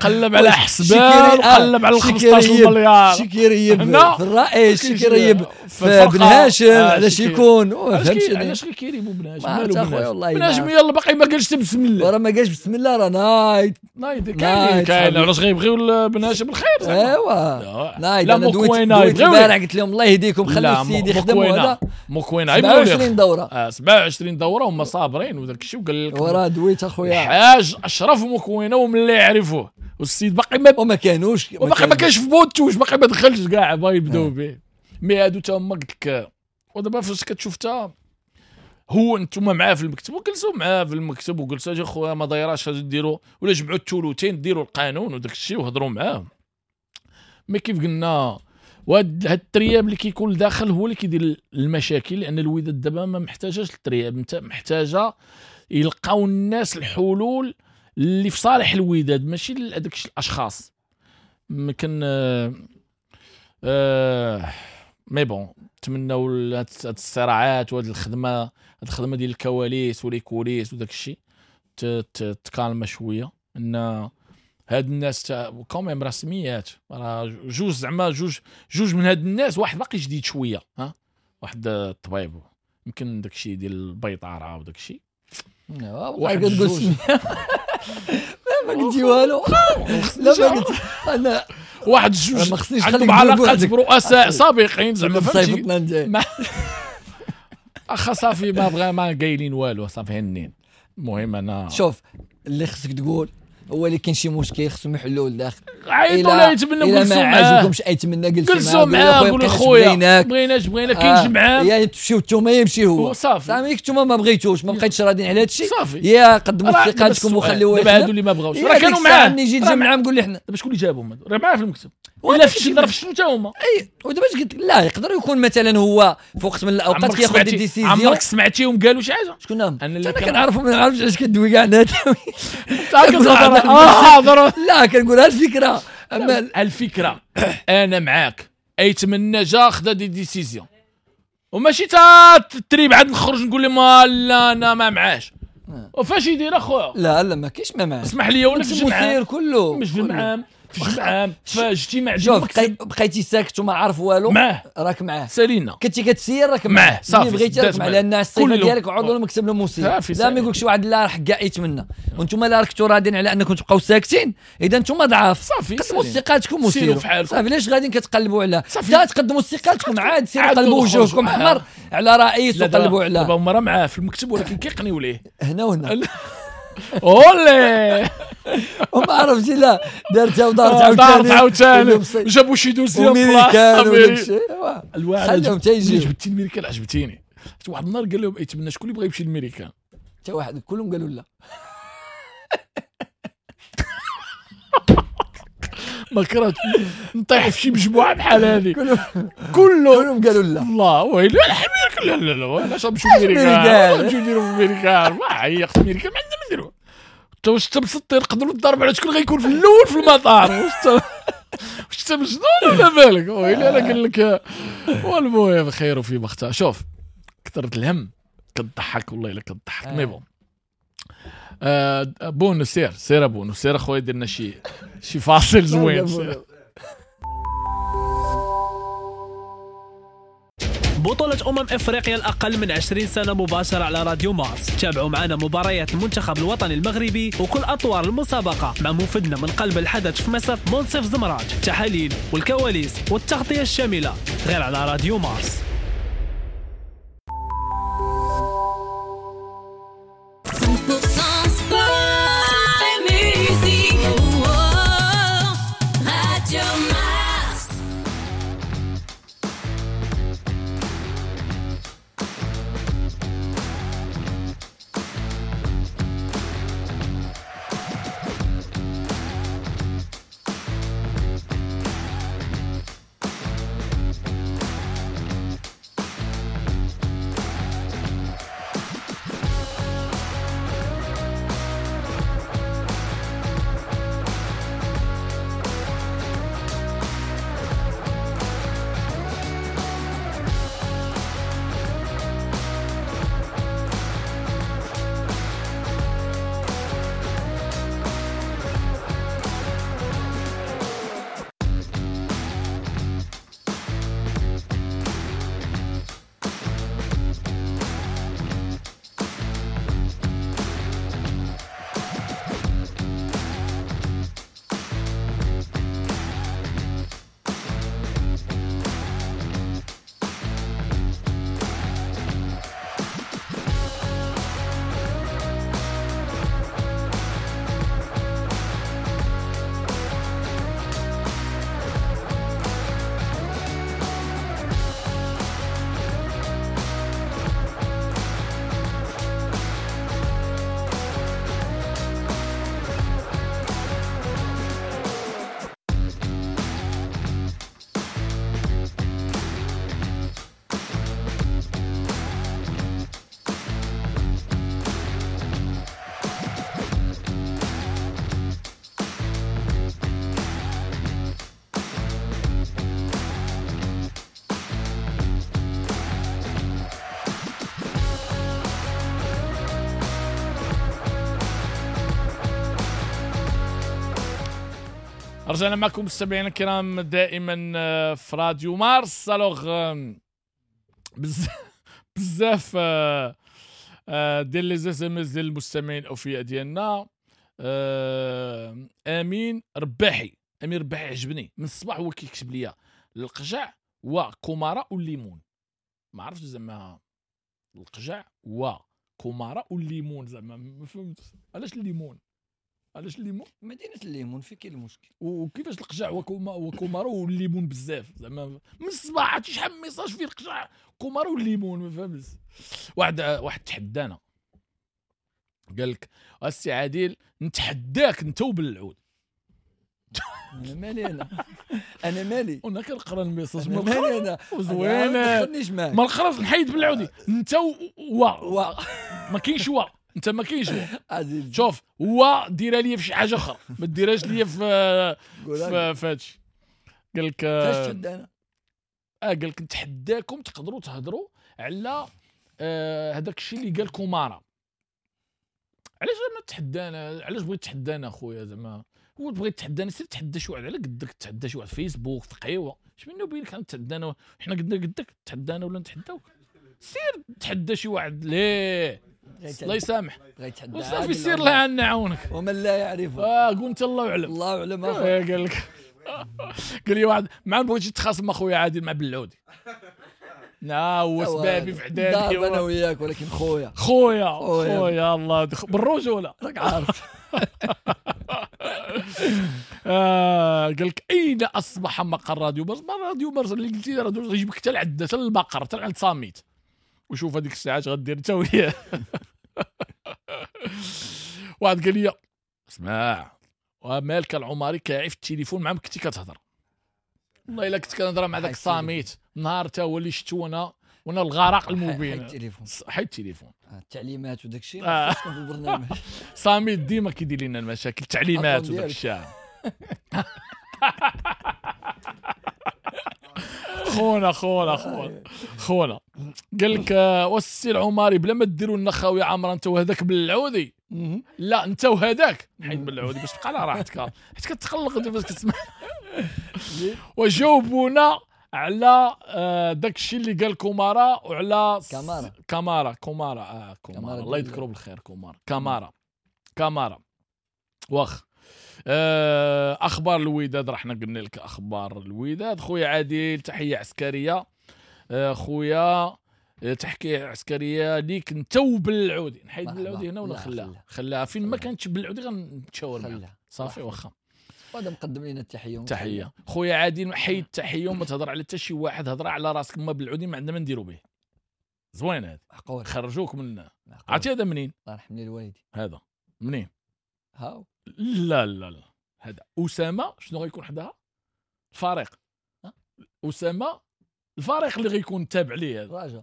قلب على حسبان وقلب على خمسطاش مليار. شي كيريب في الرئيس، شي كيريب في بن هاشم. علاش يكون فهمتي علاش كيريبوا بن هاشم؟ مالو بن هاشم يلا باقي ما قالش بسم الله، راه ما قالش بسم الله راه نايض نايض كاين كاين. علاش غيبغيو بن هاشم الخير زعما؟ ايوا نايض. انا دويت البارح قلت لهم الله يهديكم خلوا السيد يخدم. وهذا مكوينه سبعة وعشرين دوره، سبعة وعشرين دوره هما صابرين وداك الشيء. وقال لك وراه دويت اخويا الحاج اشرف مكوينه ومن اللي يعرفوه، والسيد باقي ما وما كانوش وباقي ما كانش في بوتوش، باقي ما دخلش كاع بغا يبداو به. mais هادو تا هما قلت لك. ودابا فاش كتشوف تا هو انتم معاه في المكتب وجلسوا معاه في المكتب وجلسوا اجي خويا ما دايراش اجي ديروا ولا جمعوا الثلثين ديروا القانون وداك الشيء وهضروا معاه. mais كيف قلنا وهاد الترياب اللي كيكون لداخل هو اللي كيدير المشاكل، لان الوداد دابا ما محتاجاش الترياب، محتاجه يلقاو الناس الحلول اللي في صالح الوداد ماشي هذاك الاشخاص. يمكن آه آه mais bon نتمناو هاد الصراعات وهاد الخدمة، هاد الخدمة ديال الكواليس و les coulisses وداك الشيء تكالما شوية. ان هاد الناس quand même رسميات راه جوج زعما جوج جوج من هاد الناس، واحد باقي جديد شوية ها واحد الطبيب يمكن داك الشيء ديال البيطاره وداك الشيء. واحد كتقول سميه ما قلتي والو. لا ما قلت انا واحد جوج عندهم علاقات برؤساء سابقين زعما فهمتي. اخا صافي ما بغا ما قايلين والو صافي هنين. المهم انا شوف اللي خصك تقول هو اللي كاين شي مشكل خصهم يحلوه لداخل. عيطوا لا يتمنى جلسوا معاه، ما عجبكمش ايتمنى جلسوا معاه قولوا خويا بغيناش بغينا كاين جمعه يا تمشيو نتوما يمشي هو صافي. صافي نتوما ما بغيتوش ما بقيتش راضيين على هذا الشيء يا قدموا استقالتكم وخليوه. دابا هادو اللي ما بغاوش راه كانوا معاه نجي الجمعة نقول لي حنا دابا شكون اللي جابهم هادو؟ راه معاه في المكتب ولا في شي ظرف شنو تا هما. اي ودابا اش قلت لا يقدر يكون مثلا هو في وقت من الاوقات كياخذ des décisions. عمرك سمعتيهم قالوا شي حاجة؟ شكون هم؟ انا كنعرفهم ما نعرفش علاش كدوي كاع نتا. اه لا كنقولها الفكرة. اما الفكرة انا معاك ايتمنى جا خدا des décisions وماشي تا التريب عاد نخرج نقول لهم لا انا ما معاش. وفاش يدير اخويا؟ لا لا ما كاينش ما معاش. اسمح لي ولا في المسير كله مش في المعام في الجمعة في اجتماع. شوف بقيتي ساكت وما عارف والو معاه راك معاه سالينا. كنتي كتسير راك معاه صافي. بغيتي راك معاه لان الصفة ديالك عضو المكتب المسير. لا ما يقولكش واحد لا راه كاع يتمنى وانتم لا راكتو راضين على انكم تبقاو ساكتين. اذا انتم ضعاف صافي قدموا استقالتكم وسيروا صافي. علاش غاديين كتقلبوا على لا تقدموا استقالتكم عاد سيروا قلبوا وجوهكم احمر على رئيس وقلبوا على دابا هما راه معاه في المكتب ولكن كيقنيو ليه هنا وهنا. اولي وما عرفتي لا دارتها ودارت عاوتاني دارت عاوتاني جابوا شي dossier امريكان وداك الشيء. خليهم حتى يجيو. جبتي الميريكان عجبتيني. واحد النهار قال لهم ايتمنى شكون اللي بغى يمشي للميريكان؟ حتى واحد كلهم قالوا لا. ما كرهت نطيح في شي مجموعة بحال هذه كلهم كلهم قالوا لا. الله ويلي الحمير لا لا لا علاش نمشيو للميريكان؟ نمشيو نديرو في الميريكان ما عيقت الميريكان ما عندنا ما نديرو. انت واش انت مسطي نقدروا نضرب على شكون غيكون في الاول في المطار؟ واش واش انت مجنون ولا بالك؟ ويلي انا قال لك. والمهم خير وفي مختار. شوف كثرة الهم كتضحك والله الا كتضحك. mais bon آه بونو سير سير بونو سير اخويا درنا شي شي فاصل زوين. بطولة أمم إفريقيا الأقل من عشرين سنة مباشرة على راديو مارس. تابعوا معنا مباريات المنتخب الوطني المغربي وكل أطوار المسابقة مع مفدنا من قلب الحدث في مصر منصف زمراج. التحاليل والكواليس والتغطية الشاملة غير على راديو مارس. رجعنا معكم مستمعينا الكرام دائما في راديو مارس. alors بزاف بزاف ديال les SMS ديال المستمعين الاوفياء ديالنا. امين رباحي، امين رباحي عجبني من الصباح هو كيكتب ليا القجع وكومارا والليمون. ما عرفتش زعما القجع وكومارا والليمون، زعما ما فهمت علاش الليمون، علاش الليمون؟ مدينة الليمون في كاين المشكل. وكيفاش القجع وكومارا والليمون بزاف زعما من الصباح عرفتي شحال من message فيه القجع كومارا والليمون، ما فهمتش. واحد واحد تحدانا قال لك السي عادل نتحداك انت وبالعود. انا مالي، انا انا مالي، وانا كنقرا ال message ما مالي انا زوينة، ما تدخلنيش معاك، ما نقراش نحيد بالعودي انت و و ما كاينش و انت ما كاينش و شوف و ديرها لي في شي حاجة اخرى، ما ديرهاش لي في في هادشي. قال لك فاش تحدانا؟ اه قال لك نتحداكم تقدروا تهضروا على هذاك الشيء اللي قال كومارا. علاش ما تحدانا؟ علاش بغيت تحدانا خويا؟ زعما هو بغيت تحدانا سير تحدى شي واحد على قدك، تحدى شي واحد فيسبوك في قهوة، اش منو بينك تحدانا؟ حنا قدنا قدك تحدانا ولا نتحداوك؟ سير تحدى شي واحد ليه الله يسامح وصافي سير الله نعاونك. ومن لا يعرفه اه قول انت الله اعلم، الله اعلم اخويا. قال لك قال لي واحد ما بغيتش تخاصم اخويا عادل مع بلعودي. لا هو سبابي في عدادي انا وياك، ولكن خويا خويا خويا الله بالرجوله راك عارف. آه قال لك اين اصبح مقر راديو مارس؟ ما راديو مارس اللي قلتي راديو مارس يجيبك حتى العدة حتى المقر حتى عند صاميت، وشوف هذيك الساعات غدير انت وياه. واحد قال لي اسمع ومالك العماري كاعي في التليفون مع كنتي كتهضر. والله الا كنت كنهضر مع داك صاميت نهار تا هو اللي شفتو انا وانا الغرق المبين. حيد التليفون، حيد التليفون، التعليمات وداك الشيء ما خصكم في البرنامج. صاميت ديما كيدير لنا المشاكل، التعليمات وداك الشيء. خونا خونا خونا خونا قال لك والسي العماري بلا ما ديروا لنا خاوية عامرة انت وهذاك بالعودي. لا انت وهذاك حيد بالعودي باش تبقى على راحتك، حيت كتقلق انت فاش كتسمع. وجاوبونا على داك الشيء اللي قال كومارا وعلى كامارا كامارا كومارا اه كومارا الله يذكره بالخير. كومارا كامارا كامارا واخ. اخبار الوداد راه حنا قلنا لك اخبار الوداد. خويا عادل تحية عسكرية، خويا تحكي عسكرية ليك انت وبالعودي. نحيد بالعودي هنا ولا خلاها؟ خلاها فين ما كانتش بالعودي غنتشاور معاك صافي. واخا هذا مقدم لنا التحية. تحية خويا عادل، حيد التحية وما تهضر على حتى شي واحد، هضر على راسك. ما بالعودي ما عندنا ما نديرو به. زوين هذا، خرجوك من عرفتي هذا منين؟ الله يرحم لي الوالدين. هذا منين؟ هاو لا لا لا هذا اسامة. شنو غيكون حداها؟ الفريق اسامة، الفريق اللي غيكون تابع ليه هذا راجع.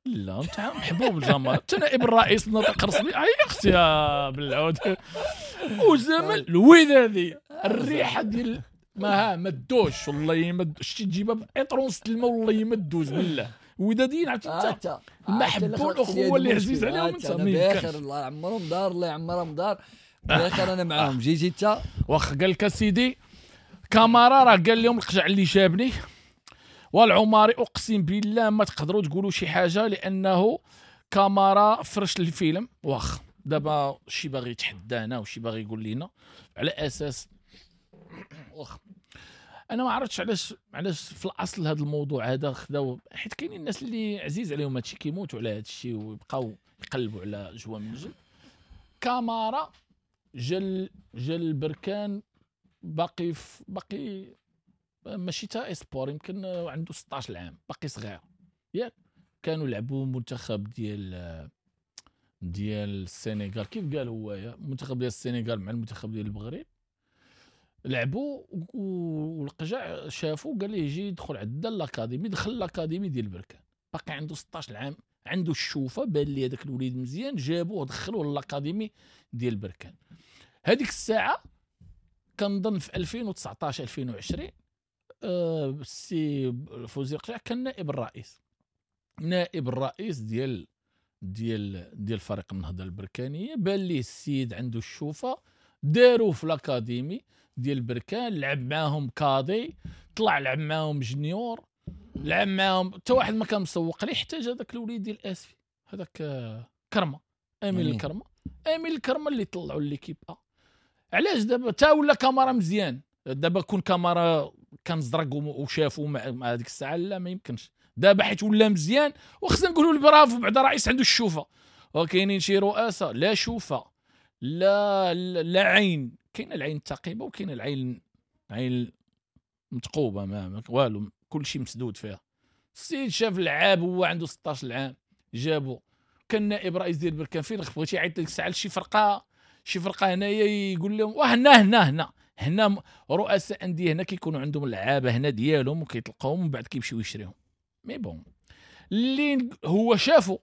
لا انت محبوب الجماعة، انت نائب الرئيس الناطق الرسمي. عي اختي يا بالعود اسامة الودادي، الريحة ديال ما ما دوش والله ما شتي تجيبها بعطرونس الماء والله ما دوز بالله. وداديين عرفتي انت المحبوب الاخوة اللي عزيز عليهم انت بخير الله يعمرهم دار، الله يعمرهم دار بخير. انا معاهم جيتي انت. واخا قال لك اسيدي كامارا راه قال لهم القجع اللي جابني والعماري اقسم بالله ما تقدروا تقولوا شي حاجة لانه كامارا فرش الفيلم. واخ دابا شي باغي يتحدانا وشي باغي يقول لنا على اساس واخ انا ما عرفتش علاش علاش في الاصل هذا الموضوع هذا خداو، حيت كاينين الناس اللي عزيز عليهم هادشي كيموتوا على هادشي ويبقاو يقلبوا على جوا من جل. كامارا جل جل بركان باقي باقي ماشي تا espoir، يمكن عنده ستة عشر عام باقي صغير ياك. كانوا لعبوا منتخب ديال ديال السنغال كيف قال هو، منتخب ديال السنغال مع المنتخب ديال المغرب لعبوا، والقجع شافوا قال ليه يجي يدخل عندنا l'académie. دخل l'académie ديال بركان باقي عنده ستة عشر عام، عنده الشوفه، بان لي هذاك الوليد مزيان، جابوه دخلوه l'académie ديال بركان. هذيك الساعة كنظن في ألفين وتسعطاش ألفين وعشرين السي فوزي القجع كان نائب الرئيس، نائب الرئيس ديال ديال ديال فريق النهضة البركانيه. بان ليه السيد عنده الشوفه، داروه في l'académie، ديال بركان، لعب معاهم cadet، طلع لعب معاهم junior، لعب معاهم حتى واحد ما كان مسوق ليه، حتى جا داك الوليد ديال اسفي هذاك كرمه، امين الكرمة، امين الكرمة اللي طلعوا l'équipe A. علاش دابا تا ولا كاميرا مزيان؟ دابا كون كاميرا كان زرق وشافوا مع هذيك الساعة لا ما يمكنش. دابا حيت ولا مزيان وخصنا نقولوا البرافو بعدا رئيس عنده الشوفه، وكاينين شي رؤساء لا شوفه لا لا عين، كاينه العين الثقيبه وكاينه العين عين متقوبه ما والو، كل شيء مسدود فيها. السيد شاف لعاب هو عنده ستة عشر عام جابو، كان نائب رئيس ديال بركان فين بغيتي يعيط لك الساعة لشي فرقه، شي فرقه هنايا يقول لهم وهنا هنا هنا هنا رؤساء اندية هنا كيكونوا عندهم لعابه هنا ديالهم وكيطلقوهم ومن بعد كيمشيو يشريهم. mais bon اللي هو شافو،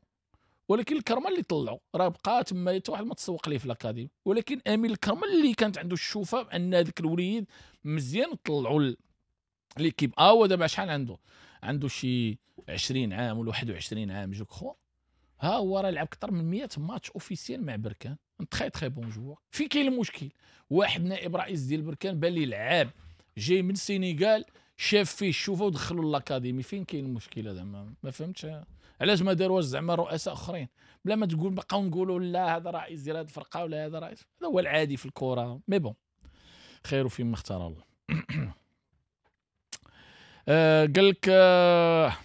ولكن الكرمة اللي طلعوا راه بقى تما حتى واحد ما تسوق ليه في l'académie، ولكن امين الكرمة اللي كانت عنده الشوفه بان هذاك الوليد مزيان طلعوا l'équipe A. ودابا شحال عنده؟ عنده شي عشرين عام ولا واحد وعشرين عام je crois. ها هو راه لعب اكثر من مية match officiel مع بركان، très très bon joueur. فين كاين المشكل؟ واحد نائب رئيس ديال بركان بان لي لعاب جاي من السينيغال، شاف فيه الشوفه ودخلوا l'académie. فين كاين المشكلة زعما؟ ما فهمتش علاش ما داروش زعما رؤساء اخرين، بلا ما تقول بقاو نقولوا لا هذا رئيس ديال هذه الفرقة ولا هذا رئيس، هذا هو العادي في الكره. mais bon خير فيما اختار الله. آه قال لك آه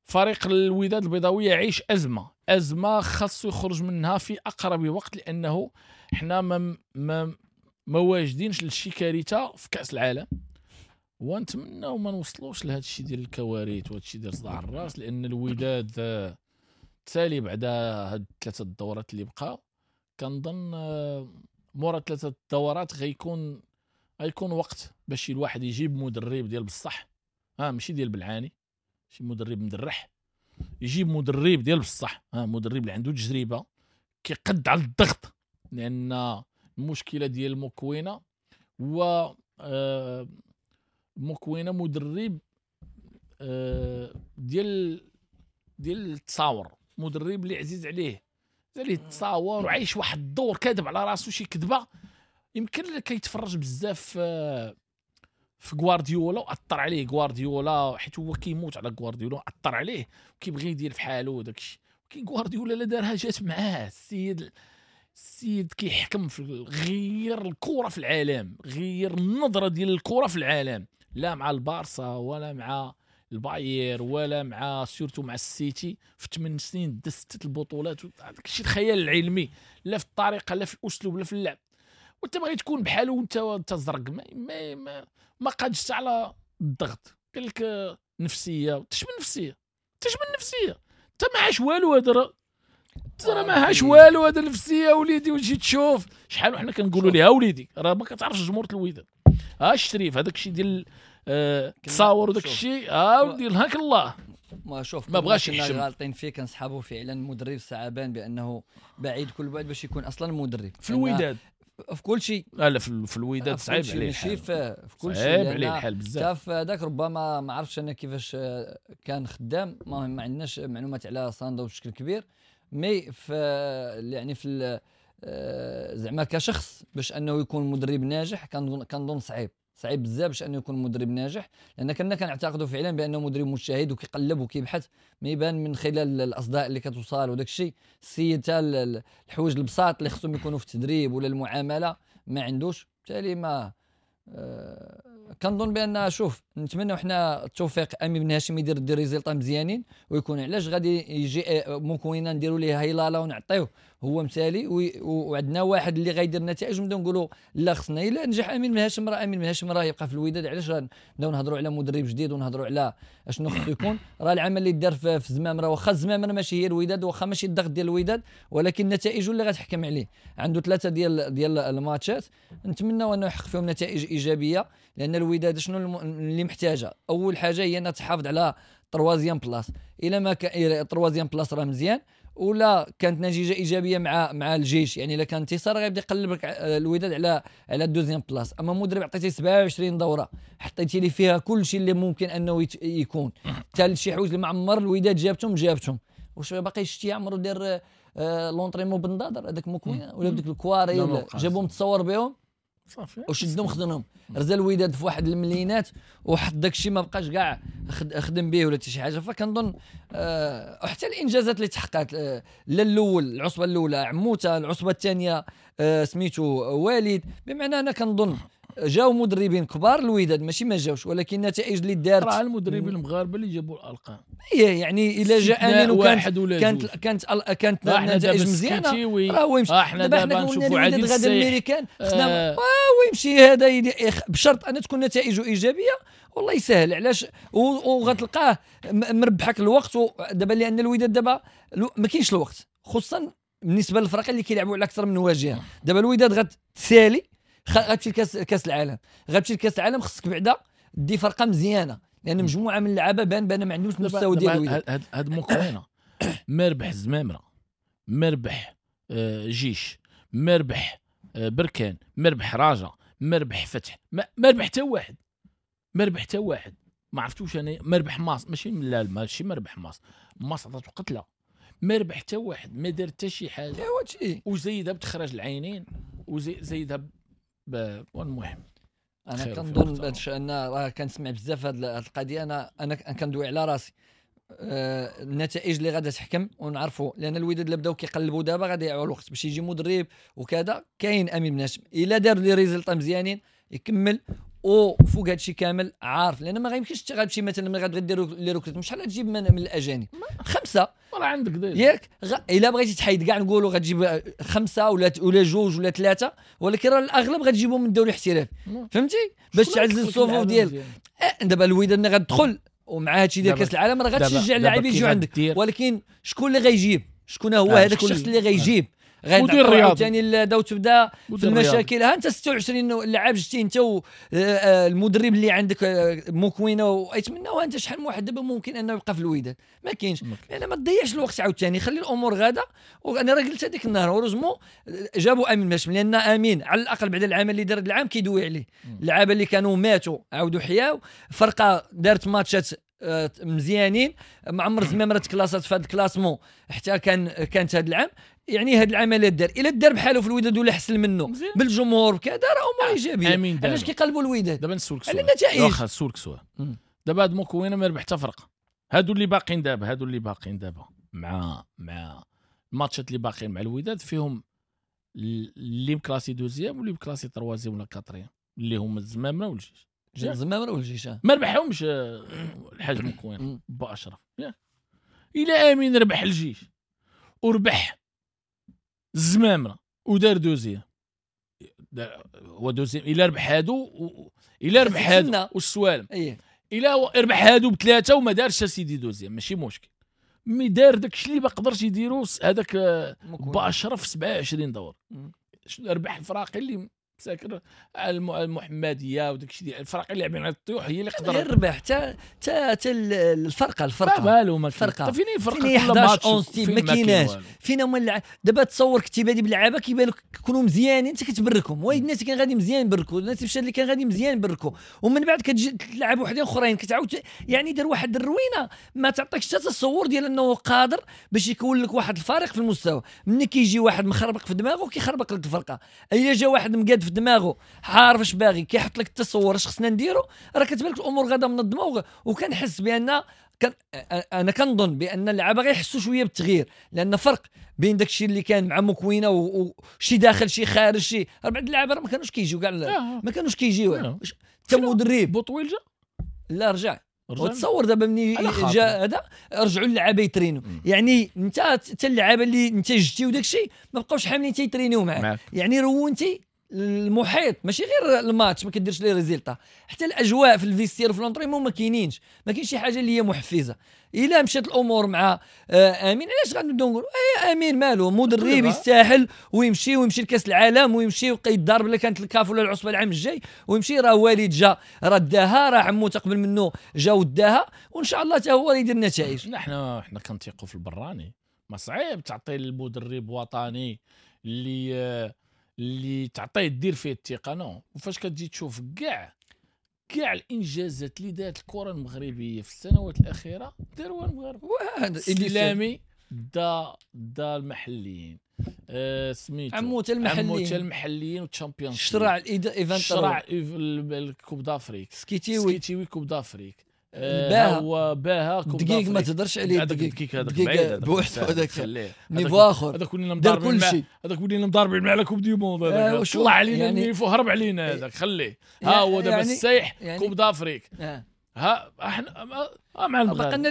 فريق الوداد البيضاوي يعيش ازمة، ازمة خاصو يخرج منها في اقرب وقت، لانه حنا ما ما ما واجدينش لشي كارثة في كاس العالم، ونتمناو ما نوصلوش لهذا الشيء ديال الكوارث وهذا الشيء ديال صداع الراس، لان الوداد تسالي بعدا هاد ثلاثة الدورات اللي بقاو. كنظن مورا ثلاثة الدورات غيكون غيكون وقت باش الواحد يجيب مدرب ديال بصح، ها ماشي ديال بالعاني، شي مدرب مدرح، يجيب مدرب ديال بصح، ها مدرب اللي عنده تجربه كيقد على الضغط، لان المشكلة ديال موكوينه هو آه موكوينه مدرب آه ديال ديال التصاور، مدرب اللي عزيز عليه عليه التصاور وعايش واحد الدور كاذب على راسو شي كذبه. يمكن كيتفرج بزاف آه في غوارديولا واثر عليه غوارديولا، حيت هو كيموت على غوارديولا، اثر عليه وكيبغي يدير في حاله وداك الشيء. ولكن غوارديولا لا دارها جات معاه، السيد السيد كيحكم في غير الكره في العالم، غير النظرة ديال الكره في العالم، لا مع البارسا ولا مع الباير ولا مع surtout مع السيتي. في ثمان سنين دا ستة البطولات، داك الشيء الخيال العلمي، لا في الطريقة لا في الاسلوب لا في اللعب. وانت باغي تكون بحالو وانت انت زرق، ما ما ما, ما قادش على الضغط. قال لك نفسية، تش من نفسية، تش من نفسية، انت ما عاش والو، هذا راه راه ما عاش والو هذا النفسية وليدي. وتجي تشوف شحال وحنا كنقولوا ليها وليدي راه ما كتعرفش جمهور الوداد، ها الشريف هذاك الشيء ديال التصاور وداك الشيء، ها ودي هاك الله ما شوف ما بغاش يحشم. غالطين فيه كنسحبوا فعلا مدرب سعبان بانه بعيد كل بعد باش يكون اصلا مدرب في الوداد في كل شيء. لا لا في الوداد صعيب عليه ماشي في, في كل شيء، صعيب عليه الحال بزاف. حتى هذاك ربما ما عرفتش انا كيفاش كان خدام، ما, ما عندناش معلومات على ساندو بشكل كبير، mais في يعني في زعما كشخص باش انه يكون مدرب ناجح كنظن كنظن صعيب صعيب بزاف باش انه يكون مدرب ناجح، لان كنا كنعتقدوا فعلا بانه مدرب مجتهد وكيقلب وكيبحث، ما يبان من خلال الاصداء اللي كتوصل وداك الشيء. السيد تا الحوايج البساط اللي خصهم يكونوا في التدريب ولا المعاملة ما عندوش، بالتالي ما آه كنظن بان شوف نتمنوا حنا التوفيق امين بن هاشم يدير des résultats مزيانين ويكون. علاش غادي يجي موكوينه نديروا ليه هيلاله ونعطيوه هو مثالي، وعندنا واحد اللي غيدير نتائج ونبداو نقولوا لا خصنا الا نجح امين بن هاشم راه امين بن هاشم راه يبقى في الوداد. علاش نبداو نهضروا على مدرب جديد ونهضروا على اشنو خصو يكون؟ راه العمل اللي دار في زمام راه واخا الزمام راه ماشي هي الوداد، واخا ماشي الضغط ديال الوداد، ولكن نتائجه اللي غتحكم عليه. عنده ثلاثة ديال ديال الماتشات نتمنوا انه يحقق فيهم نتائج ايجابية، لان الوداد شنو اللي محتاجه؟ اول حاجة هي انها تحافظ على troisième place. الا ما كان troisième place راه مزيان، ولا كانت نتيجة ايجابية مع مع الجيش، يعني الا كان انتصار غيبدا يقلب الوداد على على ال deuxième place. اما مدرب عطيتيه سبعة وعشرين دوره حطيتي لي فيها كل شيء اللي ممكن انه يكون، حتى شي حوايج اللي معمر الوداد جابتهم جابتهم. واش باقي شتي عمرو دار آه l'entraînement بنضادر هذاك موكوينه ولا بديك الكواري ولا جابهم تصور بهم؟ صافي وشدهم خدمهم رزا الوداد في واحد الملينات وحط داك الشيء ما بقاش كاع خدم به ولا حتى شي حاجة. فكنظن آه حتى الانجازات اللي تحققت آه لا الاول العصبة الاولى عموتة، العصبة الثانية آه سميتو وليد، بمعنى انا كنظن جاو مدربين كبار الوداد ماشي ما جاوش، ولكن النتائج اللي دارت راه المدربين المغاربة اللي جابوا الارقام. ايه يعني الا جا امين وكانت كانت كانت كانت النتائج مزيانه راه هو يمشي. احنا دابا نشوفوا عادل غدا الميريكان خصنا هو يمشي هذا بشرط ان تكون نتائجه ايجابية والله يسهل. علاش وغتلقاه مربحك الوقت دابا، لان الوداد دابا ما كاينش الوقت، خصوصا بالنسبة للفرق اللي كيلعبوا على اكثر من واجهه. دابا الوداد غتسالي غتمشي لكاس كاس العالم، غتمشي لكاس العالم خصك بعدا دي فرقه مزيانه، لان مجموعة من اللعابه بان بان ما عندهمش المستوى ديال الوداد. هاد هاد موكوينه ما ربح الزمامره، ما ربح جيش، ما ربح بركان، ما ربح راجا، ما ربح فتح، ما ربح حتى واحد، ما ربح حتى واحد. ما عرفتوش انا ما ربح ماس، ماشي لا ماشي ما ربح ماس، ماس عطاتو قتله، ما ربح حتى واحد، ما دار حتى شي حاجة، وزيدها بتخرج العينين وزيدها ب... والمهم انا كنظن باش ان راه كنسمع بزاف هاد القضية. انا انا كندوي على راسي آه النتائج اللي غادا تحكم ونعرفوا، لان الوداد اللي بداو كيقلبوا دابا غادي يضيعوا الوقت باش يجي مدرب وكذا. كاين امين بن هاشم الا دار les résultats مزيانين يكمل، وفوق هادشي كامل عارف، لان ما غيمكنش غتمشي مثلا ملي غتبغي دير les recrutements شحال غتجيب من, من الاجانب خمسة راه عندك déjà ياك. غ... الا بغيتي تحيد كاع نقولوا غتجيب خمسة ولا ولا جوج ولا ثلاثة، ولكن راه الاغلب غتجيبهم من الدوري الاحترافي، فهمتي، باش تعزز الصفوف ديالك. دابا الوداد ملي غتدخل ومع هادشي ديال كاس العالم راه غتشجع اللاعبين يجيو عندك، ولكن شكون اللي غيجيب؟ شكون هو هذاك الشخص اللي غيجيب؟ مدير رياضي عاوتاني داو تبدا في المشاكل. ها انت ستة وعشرين لعاب جتي انت والمدرب اللي عندك موكوينه ويتمنى، وانت شحال من واحد دابا ممكن انه يبقى في الوداد ما كاينش. يعني ما تضيعش الوقت عاوتاني، خلي الامور غاده. وانا راه قلت هذيك النهار heureusement جابوا امين ماشي، لان امين على الاقل بعد العمل اللي دار العام كيدوي عليه. اللعابه اللي كانوا ماتوا عاودوا حياو، فرقه دارت ماتشات مزيانين، معمر زمامرة تكلاسات في هذا ال classement حتى كان كانت هذا العام. يعني هذا العمل اللي دار الا دار بحاله في الوداد ولا حسن منه بالجمهور كذا راه امور ايجابية. علاش كيقلبوا الوداد؟ دابا نسولك سؤال على النتائج. واخا نسولك سؤال دابا هاد موكوينه ما ربح حتى فرقه، هادو اللي باقيين دابا، هادو اللي باقيين دابا مع مع الماتشات اللي باقيين مع الوداد فيهم اللي مكلاسي deuxième واللي مكلاسي troisième ولا quatrième، اللي هما الزمامره والجيش. الزمامره والجيش ما ربحهمش الحاج موكوينه با اشرف. الى امين ربح الجيش وربح الزمامره ودار deuxième، هو deuxième الا ربح هادو الا ربح هادو والسوالم الا ربح هادو بثلاثة وما دارش سيدي deuxième ماشي مشكل، mais دار داكشي اللي ما قدرش يديرو هذاك با اشرف سبعة وعشرين دور. ربح الفراقي اللي ساكن المحمدية وداك الشيء ديال الفرق اللي لاعبين على الطيوح هي اللي قدر غير ربح حتى حتى الفرقة الفرقة والو ما الفرقة فين الفرقة كل ماتش ما كايناش فينا هما اللع... دابا تصور كنتي بادي باللعابه كيبان لك كونوا مزيانين انت كتبركهم، وايد الناس كان غادي مزيان بركوا، الناس مشى اللي كان غادي مزيان بركوا، ومن بعد كتجي تلعب وحدين اخرين كتعاود يعني دار واحد الروينه ما تعطيكش حتى التصور ديال انه قادر باش يكون لك واحد الفريق في المستوى. ملي كيجي واحد مخربق في دماغه كيخربق لك الفرقة، الا جا واحد مقاد في دماغه عارف اش باغي كيحط لك التصور اش خصنا نديرو، راه كتبان لك الامور غادا منظمة. وكنحس بان كان انا كنظن بان اللعابه غيحسوا شوية بالتغيير، لان فرق بين داكشي اللي كان مع موكوينه وشي داخل شي خارج شي. بعض اللعابه ما كانوش كيجيو كاع، ما كانوش كيجيو حتى مدرب بوطويل جا لا رجع. وتصور دابا ملي جا هذا رجعوا اللعابه يترينو، يعني انت حتى اللعابه اللي انت جبتي وداك الشيء ما بقاوش حاملين تيترينيو معاك، يعني رونتي المحيط ماشي غير الماتش ما كديرش les résultats، حتى الاجواء في ال vestiaire وفي l'entraînement ما كاينينش، ما كاينش شي حاجة اللي هي محفزه. الا مشات الامور مع امين علاش غنبداو نقولوا اي امين مالو مدرب يستاهل ويمشي ويمشي لكاس العالم ويمشي ويضرب الا كانت الكاف ولا العصبة العام الجاي ويمشي، راه وليد جا راه داها، راه عمو تقبل منه جا وداها، وان شاء الله حتى هو يدير النتائج. نحن حنا كنثيقوا في البراني، ما صعيب تعطي المدرب وطني اللي اللي تعطيه دير فيه الثقة non. وفاش كتجي تشوف كاع كاع الانجازات اللي دارت الكره المغربية في السنوات الاخيرة داروها المغاربة. الاسلامي دا دا المحليين، آه سميتو عموتة المحليين، عموتة المحليين وال Champions، شرع الايفان، شرع ال Coupe d'Afrique، سكيتيوي سكيتيوي Coupe d'Afrique، آه هو باها Coupe دقيق ما تهضرش عليه، دقيق هذاك بعيد بوحدو هذاك niveau اخر، هذاك ولينا دار كل شيء، هذاك ولينا مضاربين على Coupe du Monde، هذاك طلع علينا ال niveau، هرب علينا هذاك، خليه ها هو دابا السايح Coupe d'Afrique. ها احنا مع المغرب بقى لنا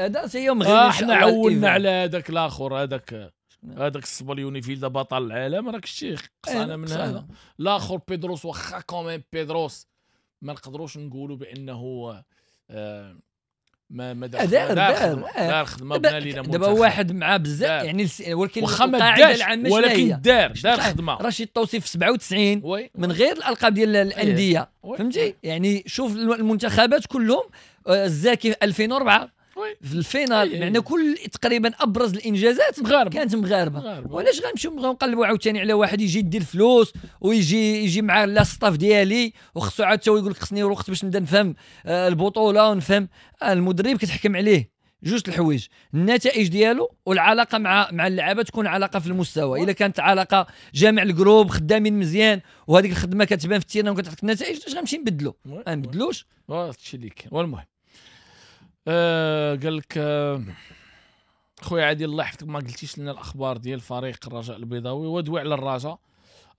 هذا هي مغربي، احنا عولنا على هذاك الاخر، هذاك هذاك الصبليوني فيلدا بطل العالم، راك شتي قصانا من هذا الاخر بيدروس، واخا quand même بيدروس ما نقدروش نقولوا بانه آه ما ما دار دار دار خدمة بنا لينا دابا واحد مع بزاف يعني، ولكن القاعدة العامة ولكن دار دار خدمة. رشيد الطوسي في سبعة وتسعين من غير الالقاب ديال الاندية، فهمتي يعني شوف المنتخبات كلهم، الزاكي في ألفين وأربعة في ال finale، معنى كل تقريبا ابرز الانجازات مغاربة. كانت مغاربة، وعلاش غنمشيو نقلبوا عاوتاني على واحد يجي يدير الفلوس ويجي يجي مع لا staff ديالي وخصو عاد يقول لك خصني وقت باش نبدا نفهم البطولة ونفهم المدرب. كتحكم عليه جوج الحوايج، النتائج ديالو والعلاقة مع مع اللعابه تكون علاقة في المستوى. الا كانت علاقة جامع ال groupe خدامين مزيان وهذيك الخدمة كتبان في ال terrain وكتعطيك النتائج، علاش غنمشي نبدلو؟ ما نبدلوش هادشي اللي كاين. والمهم آه قال لك آه خويا عادل الله يحفظك ما قلتيش لنا الاخبار ديال فريق الرجاء البيضاوي، ودوي على الرجاء.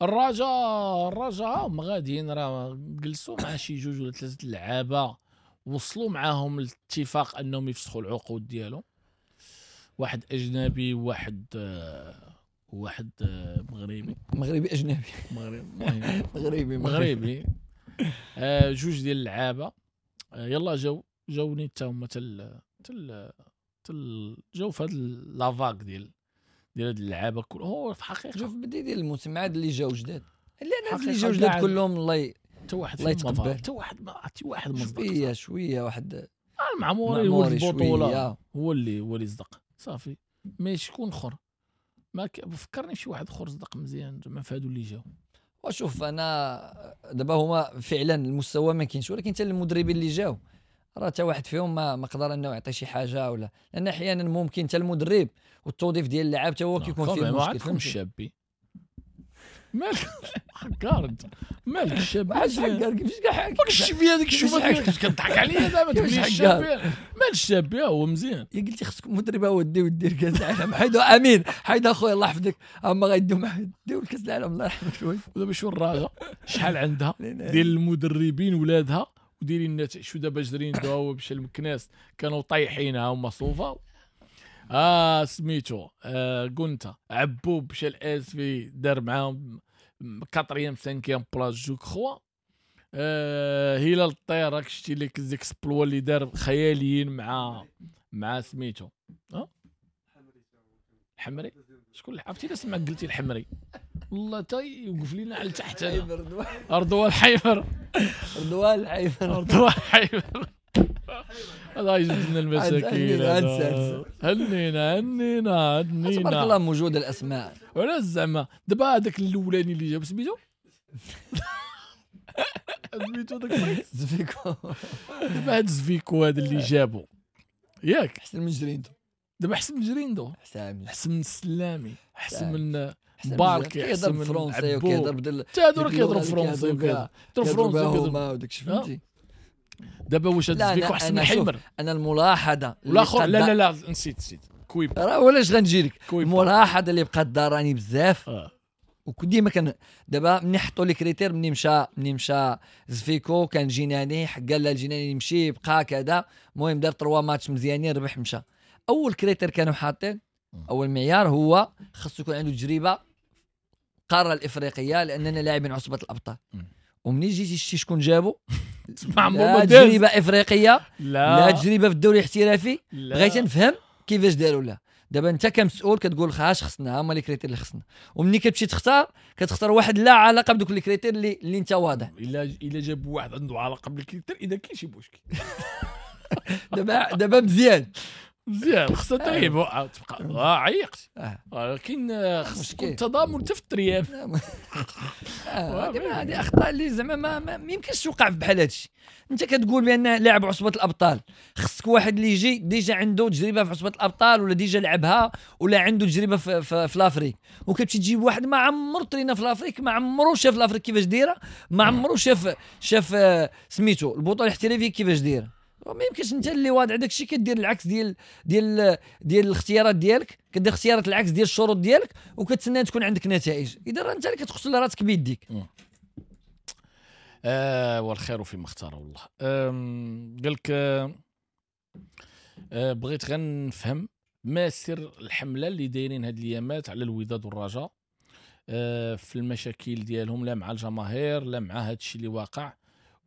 الرجاء الرجاء هما غاديين راه جلسوا مع شي جوج ولا ثلاثة اللعابه، وصلوا معاهم الاتفاق انهم يفسخوا العقود ديالهم، واحد اجنبي وواحد آه واحد آه مغربي، مغربي اجنبي، مغربي مغربي مغربي آه جوج ديال اللعابه آه يلا جاو جاوني حتى هما تل تل تل جاو في هاد la vague ديال ديال هاد اللعابه كل هو في الحقيقة شوف بدي ديال الموسم عاد اللي جاو جداد، لان اللي جاو جداد كلهم الله حتى واحد الله يتقبل، حتى واحد ما حتى واحد ما صدق شوية شوية واحد المعموري هو البطولة هو اللي هو اللي صدق صافي، mais شكون اخر ما فكرني في شي واحد اخر صدق مزيان زعما في هادو اللي جاو. وشوف انا دابا هما فعلا المستوى ما كاينش، ولكن حتى المدربين اللي جاو راه حتى واحد فيهم ما ما قدر انه يعطي شي حاجة ولا، لان احيانا ممكن حتى المدرب والتوظيف ديال اللاعب حتى هو كيكون فيه مشكل. عندكم الشابي مالك حكار انت، مالك الشابي علاش حكار؟ كيفاش كاع ماك الشبيه هذيك الشوفه ديالك كضحك عليا دابا تقول لي الشابي مال الشابي هو مزيان. يا قلتي خصكم مدرب هو ديو دير كاس العالم، حيدو امين حيد اخويا الله يحفظك، اما غيديو ديو الكاس العالم الله يرحمك شوية. ودابا شو الرجاء شحال عندها ديال المدربين ولادها وديري النتائج. شو دابا جرين داو مشى المكناس كانوا طايحينها هما صوفا اه سميتو آه قلت عبوب مشى الاسفي دار معاهم quatrième cinquième place je crois. آه هلال الطير راك شتي لك les exploits اللي دار خياليين مع مع سميتو اه الحمري. شكون اللي عرفتي الا سمعك قلتي الحمري والله تا يوقف لينا على تحت رضوان الحيفر، رضوان الحيفر، رضوان الحيفر الله يجبد لنا المشاكل. هنينا هنينا هنينا تبارك الله موجودة الاسماء. وعلاش زعما دابا هذاك الاولاني اللي جاب سميتو سميتو داك زفيكو، دابا هاد زفيكو هذا اللي جابو ياك احسن من جريندو، دابا احسن من جريندو، احسن من السلامي، احسن من باركي، كيهضر بالفرونسي وكيهضر بدل حتى هادو راه كيهضروا فرونسي وكيهضروا فرونسي وداك الشيء فهمتي. دابا واش هاد زفيكو احسن من حيمر؟ انا الملاحظة والاخر لا لا لا نسيت نسيت كويب راه ولاش غنجي لك الملاحظة اللي بقات داراني بزاف آه. وديما كان دابا ملي حطوا les critères ملي مشى ملي مشى زفيكو كان جيناني قال لا الجيناني يمشي بقى كذا، المهم دار trois matchs مزيانين ربح مشى. اول critère كانوا حاطين اول معيار هو خاصو يكون عنده تجربه القارة الافريقية لاننا لاعبين عصبه الابطال. ومني جيتي شتي شكون جابو لا تجربه افريقية لا, لا تجربه في الدوري الاحترافي. بغيت نفهم كيفاش داروا لها. دابا انت كمسؤول كتقول خاش خصنا هما les critères اللي خصنا، ومني كتمشي تختار كتختار واحد لا علاقة بدوك les critères اللي اللي انت واضح. الا الا جاب واحد عنده علاقة بال critères اذا كاين شي مشكل. دابا دابا مزيان مزيان خصها تريب تبقى اه عيقت، ولكن خص يكون التضامن حتى في الترياب. هذه اخطاء اللي زعما ما, ما يمكنش توقع في بحال هادشي. انت كتقول بان لاعب عصبه الابطال خصك واحد اللي يجي déjà عنده تجربه في عصبه الابطال ولا déjà لعبها ولا عنده تجربه في, في, في l'Afrique، وكتمشي تجيب واحد ما عمرو ترينا في l'Afrique، ما عمرو شاف l'Afrique كيفاش دايرة، ما عمرو شاف شاف سميتو البطولة الاحترافية كيفاش دايرة. ما يمكنش انت اللي واضع داك الشيء كدير العكس ديال ديال ديال الاختيارات ديالك، كدير اختيارات العكس ديال الشروط ديالك وكتسنى تكون عندك نتائج. اذا راه انت اللي كتقتل راسك بيديك. آه والخير فيما اختار والله. قال لك آه بغيت غير نفهم ما سر الحملة اللي دايرين هاد الايامات على الوداد والرجاء آه في المشاكل ديالهم، لا مع الجماهير لا مع هاد الشيء اللي واقع،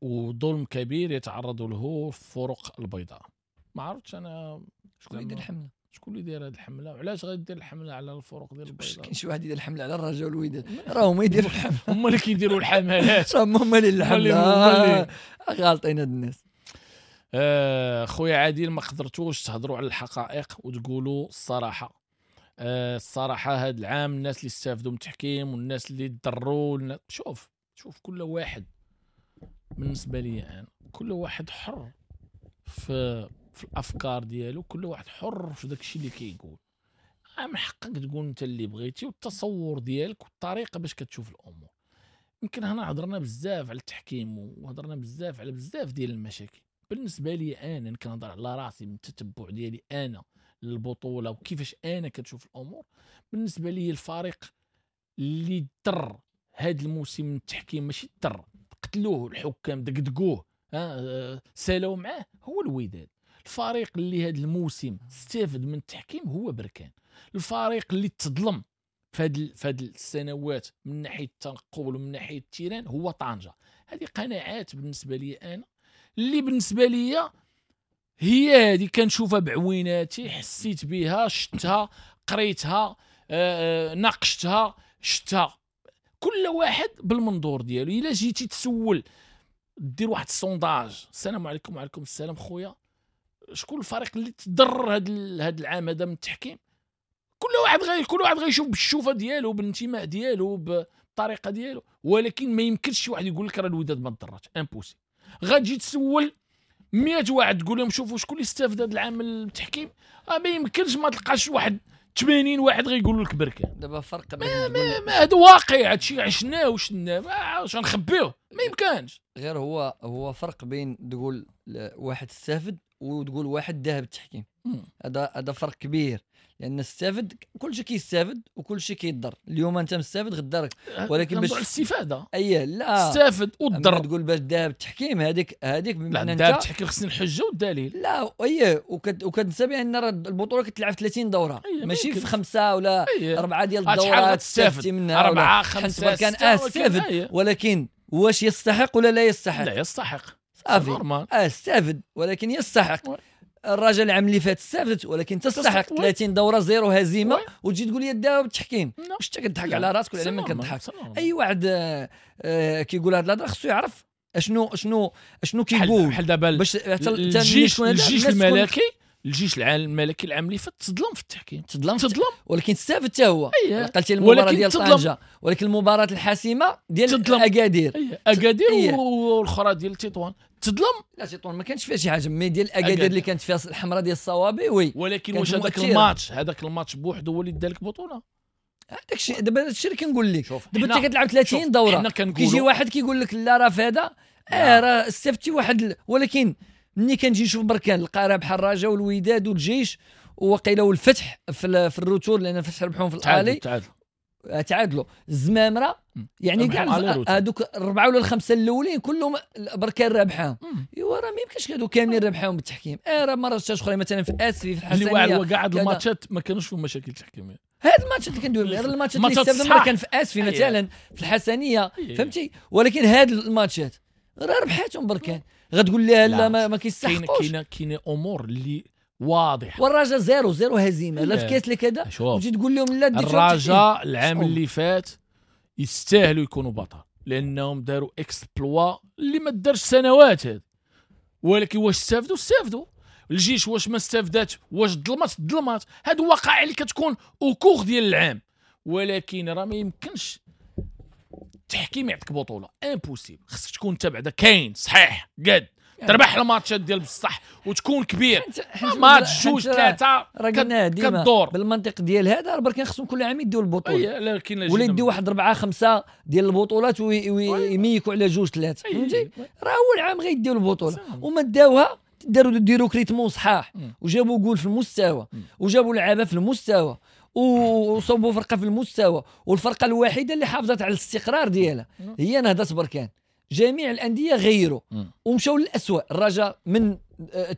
وظلم كبير يتعرض له الفرق البيضاء. ما عرفتش انا شكون اللي يدير الحملة، شكون اللي داير هذه الحملة، وعلاش غادي دير الحملة على الفرق ديال البيضاء؟ كاين شي واحد يدير الحملة على الرجاء والوداد، راه هما يديروا الحملة، هما اللي كيديروا الحملات، هما اللي الحملة غالطين هاد الناس. آه خويا عادل، ما قدرتوش تهضروا على الحقائق وتقولوا الصراحة. آه الصراحة هذا العام الناس اللي استافدوا من التحكيم والناس اللي تضروا، شوف شوف كل واحد بالنسبة لي انا كل واحد حر في في الافكار ديالو، كل واحد حر في داك الشيء اللي كيقول. من حقك تقول انت اللي بغيتي والتصور ديالك والطريقة باش كتشوف الامور. يمكن هنا هضرنا بزاف على التحكيم وهضرنا بزاف على بزاف ديال المشاكل. بالنسبة لي انا كنهضر على راسي من التتبع ديالي انا للبطولة وكيفاش انا كتشوف الامور. بالنسبة لي الفريق اللي ضر هذا الموسم من التحكيم، ماشي ضر، قتلوه الحكام، دقدقوه، ها سالوا معاه، هو الوداد. الفريق اللي هذا الموسم استفد من التحكيم هو بركان. الفريق اللي تظلم في هاد في هاد السنوات من ناحية التنقل ومن ناحية ال terrain هو طنجه. هذه قناعات بالنسبة لي انا، اللي بالنسبة لي هي هذه كنشوفها بعويناتي، حسيت بها، شفتها، قريتها، آه، ناقشتها، شفتها. كل واحد بالمنظور ديالو. الا جيتي تسول دير واحد ال sondage، السلام عليكم وعليكم السلام خويا، شكون الفريق اللي تضرر هذا هذا العام هذا من التحكيم؟ كل واحد غير كل واحد غيشوف بالشوفه ديالو، بالانتماء ديالو، بالطريقة ديالو. ولكن ما يمكنش شي واحد يقول لك راه الوداد ما تضررش، impossible. غتجي تسول مية واحد تقول لهم شوفوا شكون اللي استفاد هذا العام من التحكيم، آه ما يمكنش ما تلقاش واحد ثمانين واحد غيقولوا لك بركان. دابا فرق ما ما, ما هذا واقع، هادشي عشناه وشناه، واش غنخبيوه؟ ما يمكنش. غير هو هو فرق بين تقول واحد استفد وتقول واحد ذهب التحكيم. هذا هذا فرق كبير، لان استفد كل شيء كيستافد وكل شيء كيضر. اليوم انت مستافد غدا راك، ولكن باش الاستفادة اي لا استافد وتضر. تقول باش ذهب التحكيم هذيك هذيك بمعنى انت ذهب التحكيم خصني الحجة والدليل. لا اي وكت وكتنسى بان راه البطولة كتلعب في ثلاثين دوره، أيه ماشي في خمسة ولا أيه. اربعة ديال الدورات تستافد منها، اربعة خمسة كان استافد، ولكن واش يستحق ولا لا يستحق؟ لا يستحق صافي، استافد ولكن يستحق. الرجل العام اللي فات استفدت ولكن تستحق ثلاثين دوره zéro هزيمة، وتجي تقول لي داو بالتحكيم. واش انت كتضحك على راسك ولا على من كتضحك؟ اي واحد آه كيقول هاد الهضرة خصو يعرف اشنو اشنو اشنو كيقول. بحال دابا باش الجيش الجيش الملكي، الجيش الملكي العام اللي فات تظلم في التحكيم، تظلم تظلم ولكن استفد حتى هو. قلتي المباراة ديال طنجه، ولكن المباراة الحاسمة ديال اكادير، اكادير والاخرى ديال تطوان تظلم. لا تطوان ما كانش فيها شي حاجة، mais ديال اكادير اللي كانت فيها الحمراء ديال الصوابي oui. ولكن واش هذاك الماتش، هذاك الماتش بوحده هو اللي دا لك بطوله؟ هذاك الشيء دابا هذا الشيء اللي كنقول لك. دابا انت كتلعب ثلاثين دوره، كيجي واحد كيقول لك لا راه في هذا اه راه استفدتي واحد، ولكن ملي كنجي نشوف بركان لقى راه بحال الرجاء والوداد والجيش وقيله والفتح في في ال retour، لان الفتح ربحوهم في ال aller، تعادلوا الزمامره، يعني كاع هذوك الاربعة ولا الخمسة الاولين كلهم بركان رابحاهم. ايوا راه ما يمكنش هادو كاملين ربحاهم بالتحكيم. اه راه مرات اخرى مثلا في اسفي في الحسنيه اللي هو كاع هاد الماتشات ما كانوش فيهم مشاكل تحكيميه. هاد الماتشات اللي كندوي غير الماتشات اللي استفدنا كان في اسفي مثلا في الحسنيه، فهمتي؟ ولكن هاد الماتشات راه ربحاتهم بركان. غتقول لها لا ما, ما كيستحقوش. كاينه كاينه امور اللي واضحة. والرجاء zéro zéro هزيمة لا في كاس لا كذا، وتجي تقول لهم لا ديتو. الرجاء العام اللي فات يستاهلوا يكونوا بطل، لانهم داروا exploit اللي ما دارش سنوات هاد. ولكن واش استافدوا؟ استافدوا. الجيش واش ما استفدات، واش ظلمات ظلمات. هادو وقائع اللي كتكون au cours ديال العام، ولكن راه ما يمكنش التحكيم يعطيك بطوله، impossible. خصك تكون انت بعدا كاين صحيح قاد تربح الماتشات ديال بصح وتكون كبير. ماتش جوج ثلاثة راه قلنا ديما بالمنطق ديال هذا راه بركان خصهم كل عام يديو البطولة، لكن ولا يديو واحد اربعة خمسة ديال البطولات ويميكوا على جوج ثلاثة، فهمتي؟ راه اول عام غيديو البطولة وما داوها، داروا des recrutements صحاح وجابوا جول في المستوى وجابوا لعابه في المستوى وصوبوا فرقه في المستوى، والفرقة الوحيدة اللي حافظت على الاستقرار ديالها هي نهضة بركان. جميع الاندية غيروا ومشاو للاسوء، الرجاء من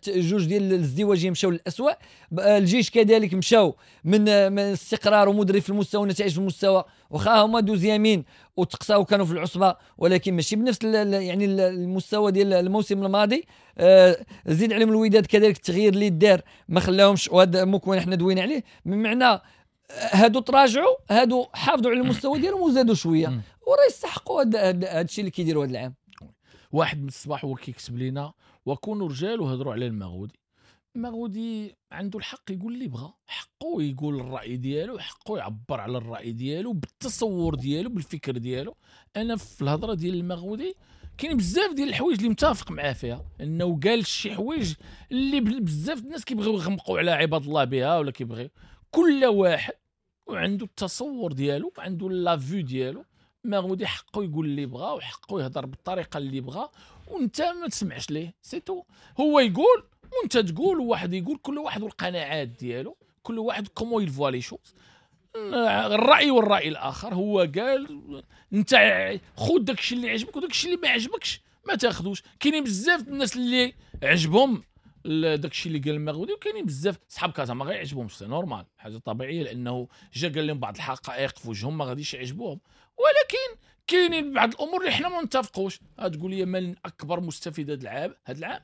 جوج ديال الازدواجيه مشاو للاسوء، الجيش كذلك مشاو من من استقرار ومدرب في المستوى ونتائج في المستوى، واخا هما deuxièmes وتقصاو كانوا في العصبة، ولكن ماشي بنفس يعني المستوى ديال الموسم الماضي. آه زيد عليهم الوداد كذلك التغيير اللي دار ما خلاهمش، وهذا مكون حنا دوينا عليه، بمعنى هادو تراجعوا، هادو حافظوا على المستوى ديالهم وزادوا شوية، وراه يستحقوا هذا الشيء اللي كيديروا هذا العام. واحد من الصباح هو كيكتب لينا وكونوا رجال وهضروا على المغودي. المغودي عنده الحق يقول اللي بغى، حقه يقول الراي ديالو، حقه يعبر على الراي ديالو بالتصور ديالو بالفكر ديالو. انا في الهضرة ديال المغودي كاين بزاف ديال الحوايج اللي متفق معاه فيها، انه قال شي حوايج اللي بزاف الناس كيبغيو يغمقوا على عباد الله بها، ولا كيبغيو كل واحد وعنده التصور ديالو وعنده la vue ديالو. مغودي حقه يقول اللي بغا وحقه يهضر بالطريقة اللي بغا، وانت ما تسمعش ليه، c'est tout. هو يقول وانت تقول وواحد يقول، كل واحد والقناعات ديالو، كل واحد comment il voit les choses، الراي والراي الاخر. هو قال انت خذ داكشي اللي عجبك وداكشي اللي ما عجبكش ما تاخذوش. كاينين بزاف الناس اللي عجبهم داكشي اللي قال المغودي، وكاينين بزاف صحاب كازا ما غيعجبهمش، c'est normal، حاجة طبيعية، لانه جا قال لهم بعض الحقائق في وجههم ما غاديش يعجبوهم. ولكن كاينين بعض الامور اللي حنا ما نتفقوش. تقول لي من اكبر مستفيد هذا العام، هذا العام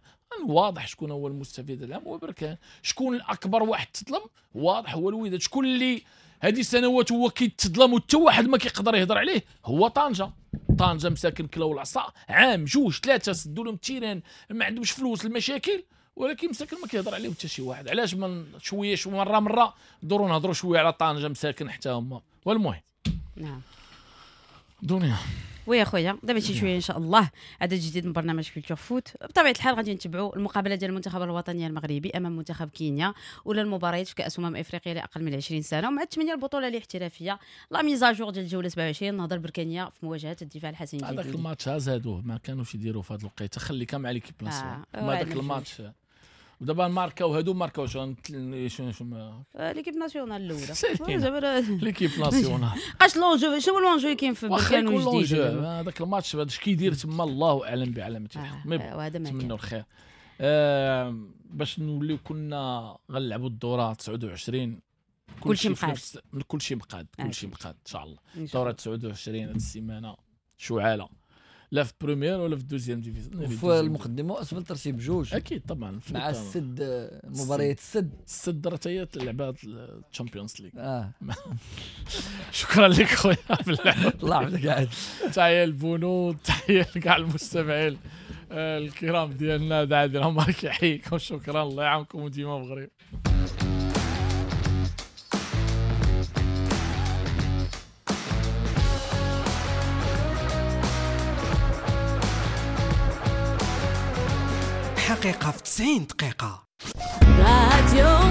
واضح شكون هو المستفيد هذا العام، هو بركان. شكون الاكبر واحد تظلم، واضح هو الوداد. شكون اللي هذه السنوات هو كيتظلم وحتى واحد ما كيقدر يهضر عليه، هو طنجه. طنجه مساكن كلاو العصا عام جوج ثلاثة، سدوا لهم ال terrain، ما عندهمش فلوس، المشاكل، ولكن مساكن ما كيهضر عليهم حتى شي واحد. علاش من شوية شو مرة مرة ندوروا نهضروا شوية على طنجه مساكن حتى هما. والمهم نعم دنيا oui اخويا دابا شي شوية ان شاء الله عدد جديد من برنامج Culture Foot. بطبيعة الحال غادي نتبعوا المقابلة ديال المنتخب الوطني المغربي امام منتخب كينيا، ولا المباريات في كاس امم افريقيا لاقل من عشرين سنة، ومع الثمانية البطولة الاحترافية la mise à jour ديال الجولة سبعة وعشرين نهضة البركانيه في مواجهة الدفاع الحسني الجديد. هذاك الماتش زادوه ما كانوش يديروا في هذه الوقيته، خليك مع l'équipe nationale. ما هذاك الماتش ودابا ماركاو هادو ماركاو شنو شنو شنو l'équipe nationale الاولى زعما l'équipe nationale بقاش l'enjeu. شنو l'enjeu كاين في بركان وجديد هذاك الماتش هذا اش كيدير تما الله اعلم بعلامة الحق. نتمنوا الخير. آه باش نوليو كنا غنلعبوا الدورة تسعة وعشرين، كلشي مقاد، كلشي مقاد، كلشي مقاد ان شاء الله. دوره تسعة وعشرين هذه السيمانة شعاله، لا في première ولا في deuxième division، في المقدمة واسفل ترتيب جوج اكيد طبعا مع السد، مباريات السد السد راه هي لعبات ال Champions League. اه شكرا لك خويا بالله، الله يحفظك. عاد تحية البنود، تحية لكاع المستمعين الكرام ديالنا، عادل عمر كيحييكم، شكرا، الله يعاونكم وديما مغرب. حقيقة في تسعين دقيقة. راديو.